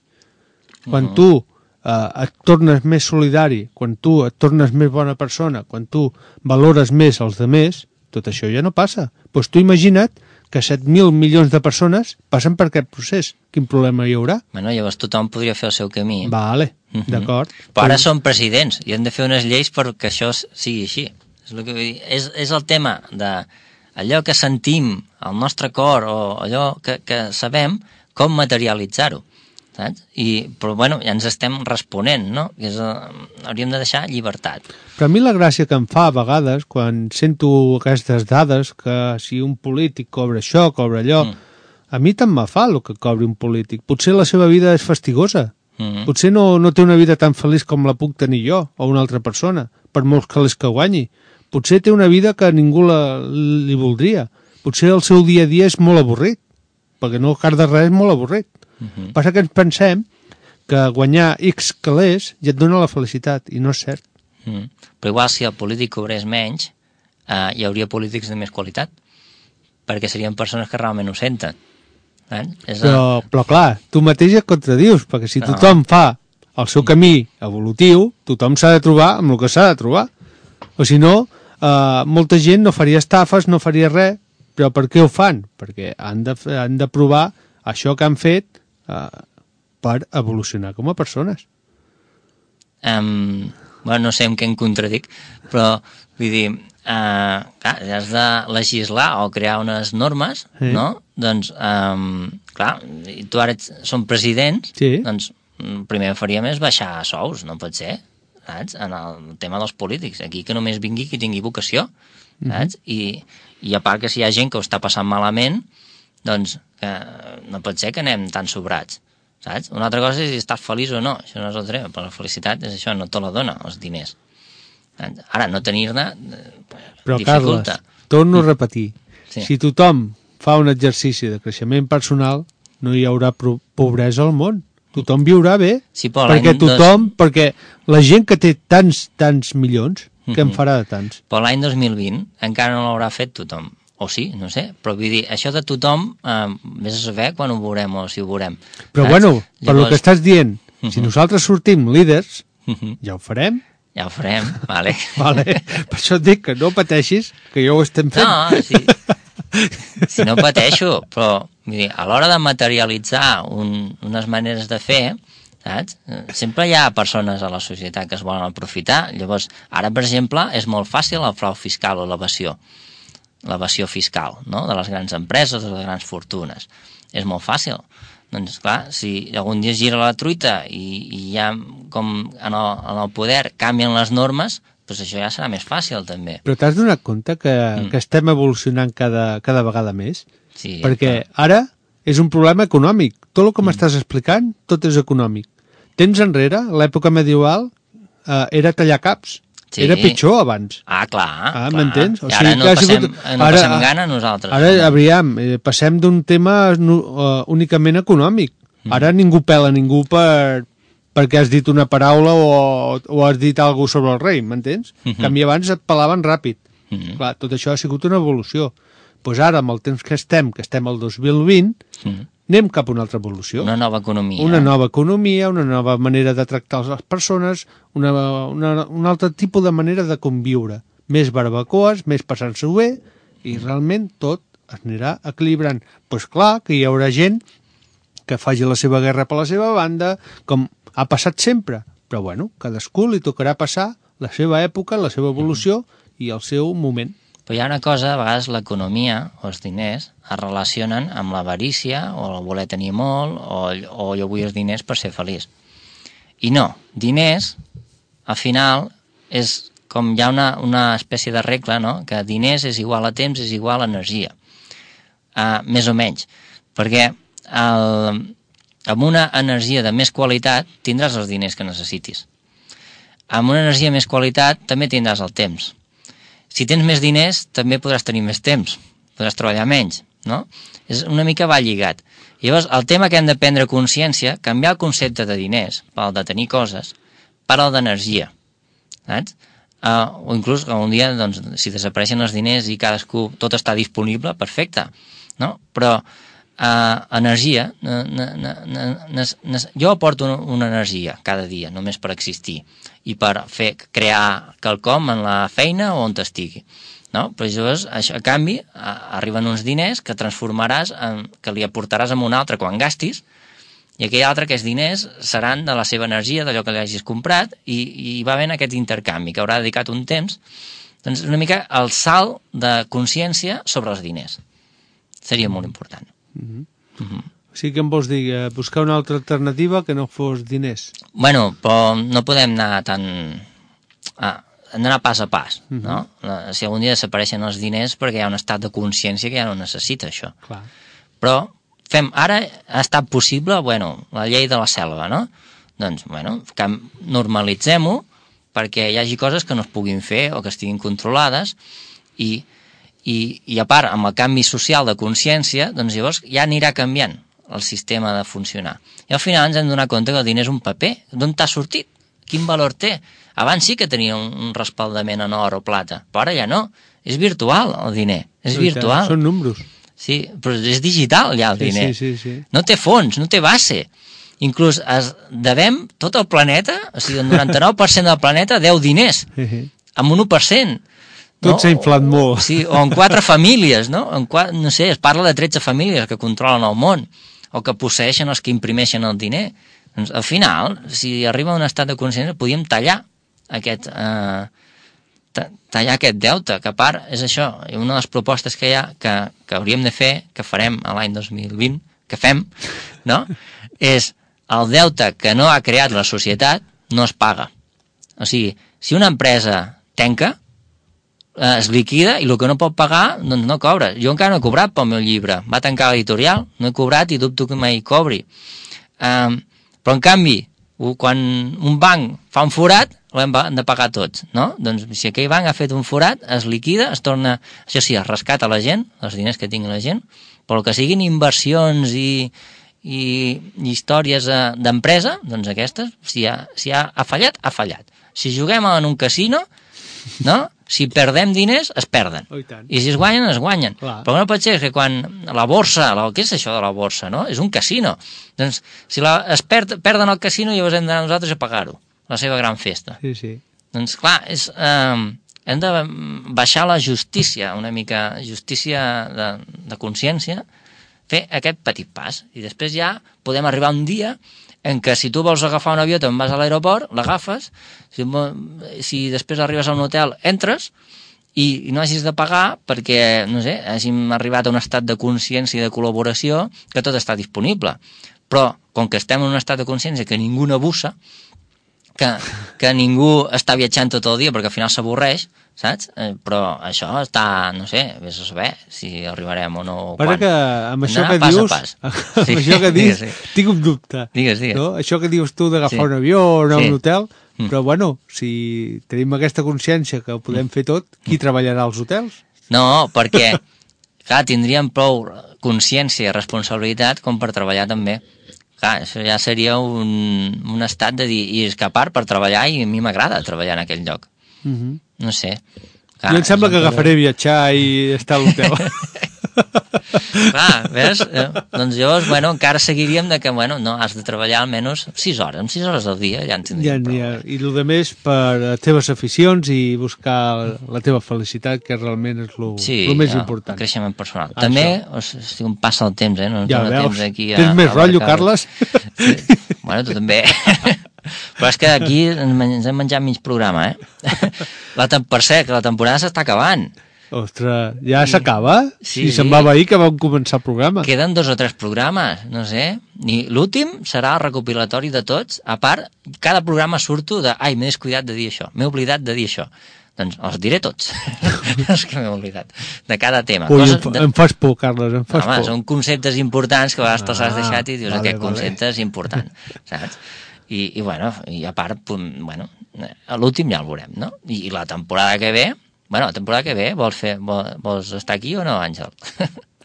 Quan mm-hmm. tu eh, et tornes més solidari, quan tu et tornes més bona persona, quan tu valores més els demés, tot això ja no passa. Doncs tu imagina't que set mil milions de persones passen per aquest procés. Quin problema hi haurà? Bueno, llavors tothom podria fer el seu camí. Vale, mm-hmm. d'acord. Però ara són presidents i han de fer unes lleis perquè això sigui així. És, el que vull dir. És, és el tema de allò que sentim al nostre cor o allò que, que sabem, com materialitzar-ho. Saps? I, però bueno, ja ens estem responent, no? Que és, uh, hauríem de deixar llibertat. Però a mi la gràcia que em fa a vegades, quan sento aquestes dades, que si un polític cobra això, cobra allò, mm. a mi tant me fa el que cobri un polític. Potser la seva vida és fastigosa. Mm. Potser no, no té una vida tan feliç com la puc tenir jo o una altra persona, per molts calés que guanyi. Potser té una vida que ningú la, li voldria. Potser el seu dia a dia és molt avorrit, perquè no car de res és molt avorrit. Uh-huh. Passa que ens pensem que guanyar X calés ja et dona la felicitat, i no és cert. Uh-huh. Però igual si el polític cobrés menys, eh, hi hauria polítics de més qualitat, perquè serien persones que realment ho senten. Eh? És però, a... però clar, tu mateix et contradius, perquè si no. tothom fa el seu camí evolutiu, tothom s'ha de trobar amb el que s'ha de trobar. O si no, eh, molta gent no faria estafes, no faria res, però per què ho fan? Perquè han de, han de provar això que han fet Uh, per evolucionar com a persones. Um, bueno, no sé en què em contradic, però vull dir, uh, clar, has de legislar o crear unes normes, sí. no? Doncs, um, clar, tu ara ets, som presidents, sí. doncs el primer que faríem és baixar sous, no pot ser, saps? En el tema dels polítics, aquí que només vingui qui tingui vocació, saps? Mm-hmm. I, i a part que si hi ha gent que ho està passant malament, doncs que no pot ser que anem tan sobrats, saps? Una altra cosa és si estàs feliç o no, això no és el tret, però la felicitat és això, no te la dona, els diners. Ara, no tenir-ne però, dificulta. Carles, torno a repetir, sí. Si tothom fa un exercici de creixement personal, no hi haurà pobresa al món. Tothom viurà bé, sí, perquè tothom, dos... perquè la gent que té tants, tants milions, uh-huh. que en farà de tants. Però l'any dos mil vint encara no l'haurà fet tothom. O sí, no sé, però vull dir, això de tothom, eh, vés a saber quan ho veurem o si ho veurem. Però saps? bueno, per Llavors... el que estàs dient, uh-huh. si nosaltres sortim líders, uh-huh. ja ho farem. Ja ho farem, vale. vale. Per això et dic que no pateixis, que jo ho estem fent. No, sí. Si no pateixo, però vull dir, a l'hora de materialitzar un, unes maneres de fer, saps? Sempre hi ha persones a la societat que es volen aprofitar. Llavors, ara, per exemple, és molt fàcil el frau fiscal o l'evasió. L'evasió fiscal, no?, de les grans empreses o de les grans fortunes. És molt fàcil. Doncs, clar, si algun dia gira la truita i, i ja, com en el, en el poder, canvien les normes, doncs això ja serà més fàcil, també. Però t'has donat compte que, mm. que estem evolucionant cada, cada vegada més? Sí. Perquè clar. Ara és un problema econòmic. Tot el que mm. m'estàs explicant, tot és econòmic. Temps enrere, l'època medieval, eh, era tallar caps. Sí. Era pitjor abans. Ah, clar. Ah, m'entens? O I ara sigui, no, passem, sigut... no ara, passem gana nosaltres. Ara, no? aviam, eh, passem d'un tema no, uh, únicament econòmic. Mm. Ara ningú pela ningú per... perquè has dit una paraula o, o has dit alguna cosa sobre el rei, m'entens? Mm -hmm. En canvi, abans et pelaven ràpid. Mm -hmm. Clar, tot això ha sigut una evolució. Doncs pues ara, amb el temps que estem, que estem al dos mil vint, mm -hmm. anem cap a una altra evolució. Una nova economia. Una nova economia, una nova manera de tractar les persones, una, una, un altre tipus de manera de conviure. Més barbacoes, més passant-s'ho bé, i realment tot es anirà equilibrant. Doncs pues clar que hi haurà gent que faci la seva guerra per la seva banda, com ha passat sempre, però bueno, cadascú li tocarà passar la seva època, la seva evolució i el seu moment. Però hi ha una cosa, a vegades l'economia o els diners es relacionen amb l'avarícia o el voler tenir molt o, o jo vull els diners per ser feliç. I no, diners, al final, és com hi ha una, una espècie de regla, no?, que diners és igual a temps, és igual a energia. Uh, més o menys. Perquè el... amb una energia de més qualitat tindràs els diners que necessitis. Amb una energia de més qualitat també tindràs el temps. Si tens més diners, també podràs tenir més temps, podràs treballar menys, no? És una mica va lligat. Llavors, el tema que hem de prendre consciència, canviar el concepte de diners, pel de tenir coses, per al d'energia, saps? Uh, o inclús un dia, doncs, si desapareixen els diners i cadascú, tot està disponible, perfecte, no? Però Uh, energia, ne, ne, ne, ne, ne, jo aporto una, una energia cada dia, només per existir i per fer crear quelcom en la feina o on t'estigui, no? Però llavors, això, a canvi, a, arriben uns diners que transformaràs, en, que li aportaràs a un altre quan gastis, i aquell altre, aquests diners, seran de la seva energia, d'allò que li hagis comprat, i, i va haver aquest intercanvi, que haurà dedicat un temps. Doncs una mica el salt de consciència sobre els diners. Seria molt important. Uh-huh. Uh-huh. O sigui que em vols dir, eh, buscar una altra alternativa que no fos diners. Bueno, però no podem anar tan... Ah, hem d'anar pas a pas, uh-huh. no? Si algun dia desapareixen els diners perquè hi ha un estat de consciència que ja no necessita això. Clar. Però fem, ara ha estat possible, bueno, la llei de la selva, no? Doncs, bueno, normalitzem-ho perquè hi hagi coses que no es puguin fer o que estiguin controlades i... I, i a part, amb el canvi social de consciència, doncs llavors ja anirà canviant el sistema de funcionar. I al final ens hem donat compte que el diner és un paper. D'on t'ha sortit? Quin valor té? Abans sí que tenia un, un respaldament en or o plata, però ara ja no. És virtual el diner, és virtual. Són números. Sí, però és digital ja el sí, diner. Sí, sí, sí. No té fons, no té base. Inclús es devem tot el planeta, o sigui, el noranta-nou per cent del planeta deu diners, amb un u per cent. Tot no? S'ha inflat molt. Sí, o en quatre famílies, no? En quatre, no sé, es parla de tretze famílies que controlen el món, o que posseeixen els que imprimeixen el diner. Doncs, al final, si arriba a un estat de consciència, podíem tallar aquest, eh, tallar aquest deute, que a part és això, i una de les propostes que hi ha, que, que hauríem de fer, que farem a l'any dos mil vint, que fem, no? És el deute que no ha creat la societat no es paga. O sigui, si una empresa tanca, es liquida i el que no pot pagar doncs no cobra. Jo encara no he cobrat pel meu llibre, va tancar l'editorial, no he cobrat i dubto que mai cobri. Um, però, en canvi, quan un banc fa un forat, l'hem de pagar tots, no? Doncs si aquell banc ha fet un forat, es liquida, es torna, això sí, es rescata la gent, els diners que tingui la gent, però el que siguin inversions i, i, i històries d'empresa, doncs aquestes, si ha, si ha, ha fallat, ha fallat. Si juguem en un casino, no? Si perdem diners, es perden. Oh, i tant. I si es guanyen, es guanyen. Clar. Però no pot ser que quan la borsa, la, què és això de la borsa, no? És un casino. Doncs si la, es perd, perden el casino, llavors hem d'anar nosaltres a pagar-ho, la seva gran festa. Sí, sí. Doncs clar, és, eh, hem de baixar la justícia, una mica justícia de, de consciència, fer aquest petit pas. I després ja podem arribar un dia en què si tu vols agafar un avió te'n vas a l'aeroport, l'agafes, si, si després arribes a un hotel entres i, i no hagis de pagar perquè, no sé, hàgim arribat a un estat de consciència i de col·laboració que tot està disponible. Però, com que estem en un estat de consciència que ningú n'abusa, que, que ningú està viatjant tot el dia perquè al final s'avorreix, saps? Eh, però això està, no sé, vés a saber si arribarem o no. Però que amb això que pas dius, a pas. amb Sí. això que dius, Digues, sí. tinc un dubte. Digues, digues. No? Això que dius tu d'agafar Sí. un avió o anar a Sí. un hotel, Mm. però bueno, si tenim aquesta consciència que ho podem fer tot, qui treballarà als hotels? No, perquè, clar, tindríem prou consciència i responsabilitat com per treballar també. Clar, això ja seria un, un estat de dir, i és que a part per treballar, i a mi m'agrada treballar en aquell lloc. Uh -huh. No sé. Clar, jo em sembla que agafaré viatjar i estar a l'hotel. Clar, ves? Eh, doncs llavors, bueno, encara seguiríem de que, bueno, no, has de treballar almenys sis hores, amb sis hores al dia ja en tindríem ja, prou. ja. I el més per les teves aficions i buscar la teva felicitat, que realment és el sí, més ja, important. el creixement personal. Això. També, o sigui, un passa el temps, eh? No ja no veus, temps aquí a, tens més a rotllo, marcar. Carles? Sí. Bueno, tu també. Però és que aquí ens hem menjat mig programa, eh? La tem per cert, que la temporada s'està acabant. Ostres, ja s'acaba? Sí, Si sí. semblava ahir que vam començar el programa. Queden dos o tres programes, no sé. I l'últim serà el recopilatori de tots. A part, cada programa surto de ai, m'he descuidat de dir això, m'he oblidat de dir això. Doncs els diré tots. És que m'he oblidat. De cada tema. Ui, Coses em, fa- de... em fas por, Carles, em fas Home, por. són conceptes importants que a vegades te'ls has Ah, deixat i dius vale, aquest vale. concepte és important, saps? I, i bueno, i a part, punt, bueno, a l'últim ja el veurem, no? I, I la temporada que ve, bueno, la temporada que ve, vols, fer, vols, vols estar aquí o no, Àngel?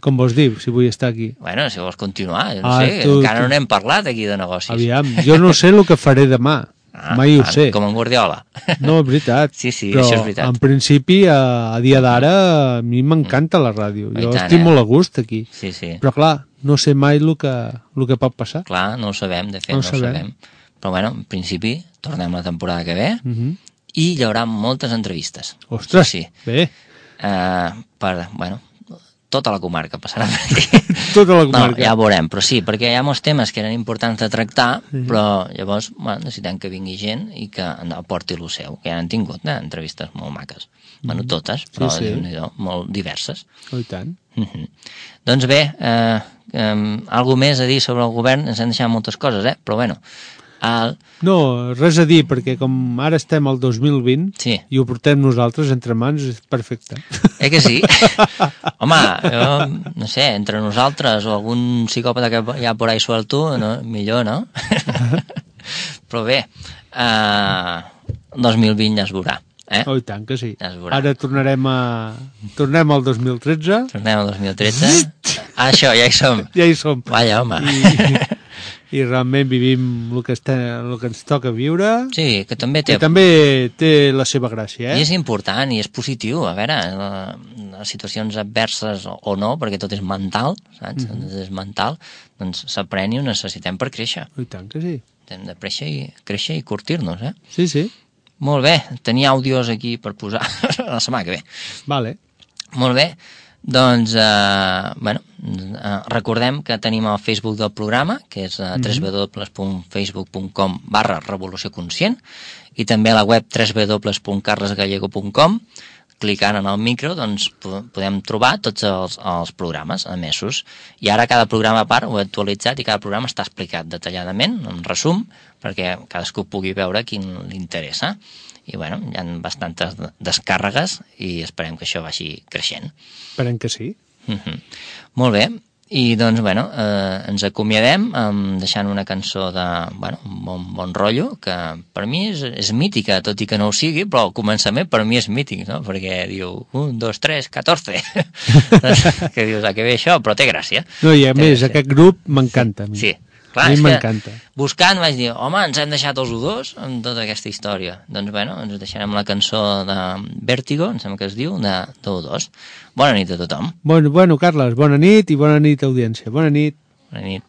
Com vols dir, si vull estar aquí? Bueno, si vols continuar, jo no Ah, sé, tu- encara tu- no n'hem parlat aquí de negocis. Aviam, jo no sé el que faré demà. Ah, Mai ho ah, sé. Com en Guardiola. No, és veritat. Sí, sí, però això és veritat. en principi, a, a dia d'ara, a mi m'encanta la ràdio. I Jo tant, estic eh? molt a gust aquí. Sí, sí. Però clar, no sé mai el que, el que pot passar. Clar, no ho sabem, de fet, No no, ho ho sabem. sabem. Però bueno, en principi, tornem la temporada que ve Uh -huh. i hi haurà moltes entrevistes. Ostres, Sí, sí. bé, Uh, per, bueno, tota la comarca passarà per aquí. tota la No, comarca. ja ho veurem, però sí, perquè hi ha molts temes que eren importants de tractar, sí. Però llavors, bueno, necessitem que vingui gent i que aporti el seu, que ja han tingut eh, entrevistes molt maques. Mm. Bueno, totes, però sí. Déu-n'hi-do, molt diverses. Oh, i tant. Uh -huh. Doncs bé, eh, eh, algo més a dir sobre el govern, ens han deixat moltes coses, eh? Però bueno, el... No, res a dir, perquè com ara estem al dos mil vint Sí. i ho portem nosaltres entre mans, és perfecte. Eh que sí? Home, jo, no sé, entre nosaltres o algun psicòpata que hi ha por ahí suelto, no? Millor, no? Però bé, eh, dos mil vint ja es veurà, eh? Oh, i tant que sí. Ja es veurà. Ara tornarem a... Tornem al dos mil tretze. Tornem al dos mil tretze. Ah, això, ja hi som. Ja hi som. Vaja, home. I, i realment vivim el que, està, el que ens toca viure. Sí, que també té... Que també té la seva gràcia, I eh? és important i és positiu, a veure, la, les situacions adverses o, o no, perquè tot és mental, saps? Mm -hmm. Tot és mental, doncs s'aprèn i ho necessitem per créixer. Oh, i tant que sí. Hem de créixer i, créixer i curtir-nos, eh? Sí, sí. Molt bé, tenia àudios aquí per posar la setmana que ve. Vale. Molt bé, doncs, eh, bueno, eh, recordem que tenim el Facebook del programa, que és eh, w w w punt facebook punt com barra revolució conscient, i també a la web w w w punt carles gallego punt com. Clicant en el micro, doncs, podem trobar tots els, els programes emesos. I ara cada programa a part ho he actualitzat i cada programa està explicat detalladament, en resum, perquè cadascú pugui veure quin li interessa. I, bueno, hi ha bastantes descàrregues i esperem que això vagi creixent. Esperem que sí. Uh-huh. Molt bé. I doncs, bueno, eh, ens acomiadem um, deixant una cançó de, bueno, un bon, bon rotllo, que per mi és, és mítica, tot i que no ho sigui, però el començament per mi és mític, no? Perquè diu, un, dos, tres, catorze. Que dius, a què ve això? Però té gràcia. No, i a té més, gràcia. aquest grup m'encanta. a mi. Sí, clar, a mi és m'encanta. que buscant vaig dir, home, ens hem deixat els U dos amb tota aquesta història. Doncs, bueno, ens deixarem la cançó de Vértigo, em sembla que es diu, de, de U dos. Bona nit a tothom. Bueno, bueno, Carles, bona nit i bona nit, audiència. Bona nit. Bona nit.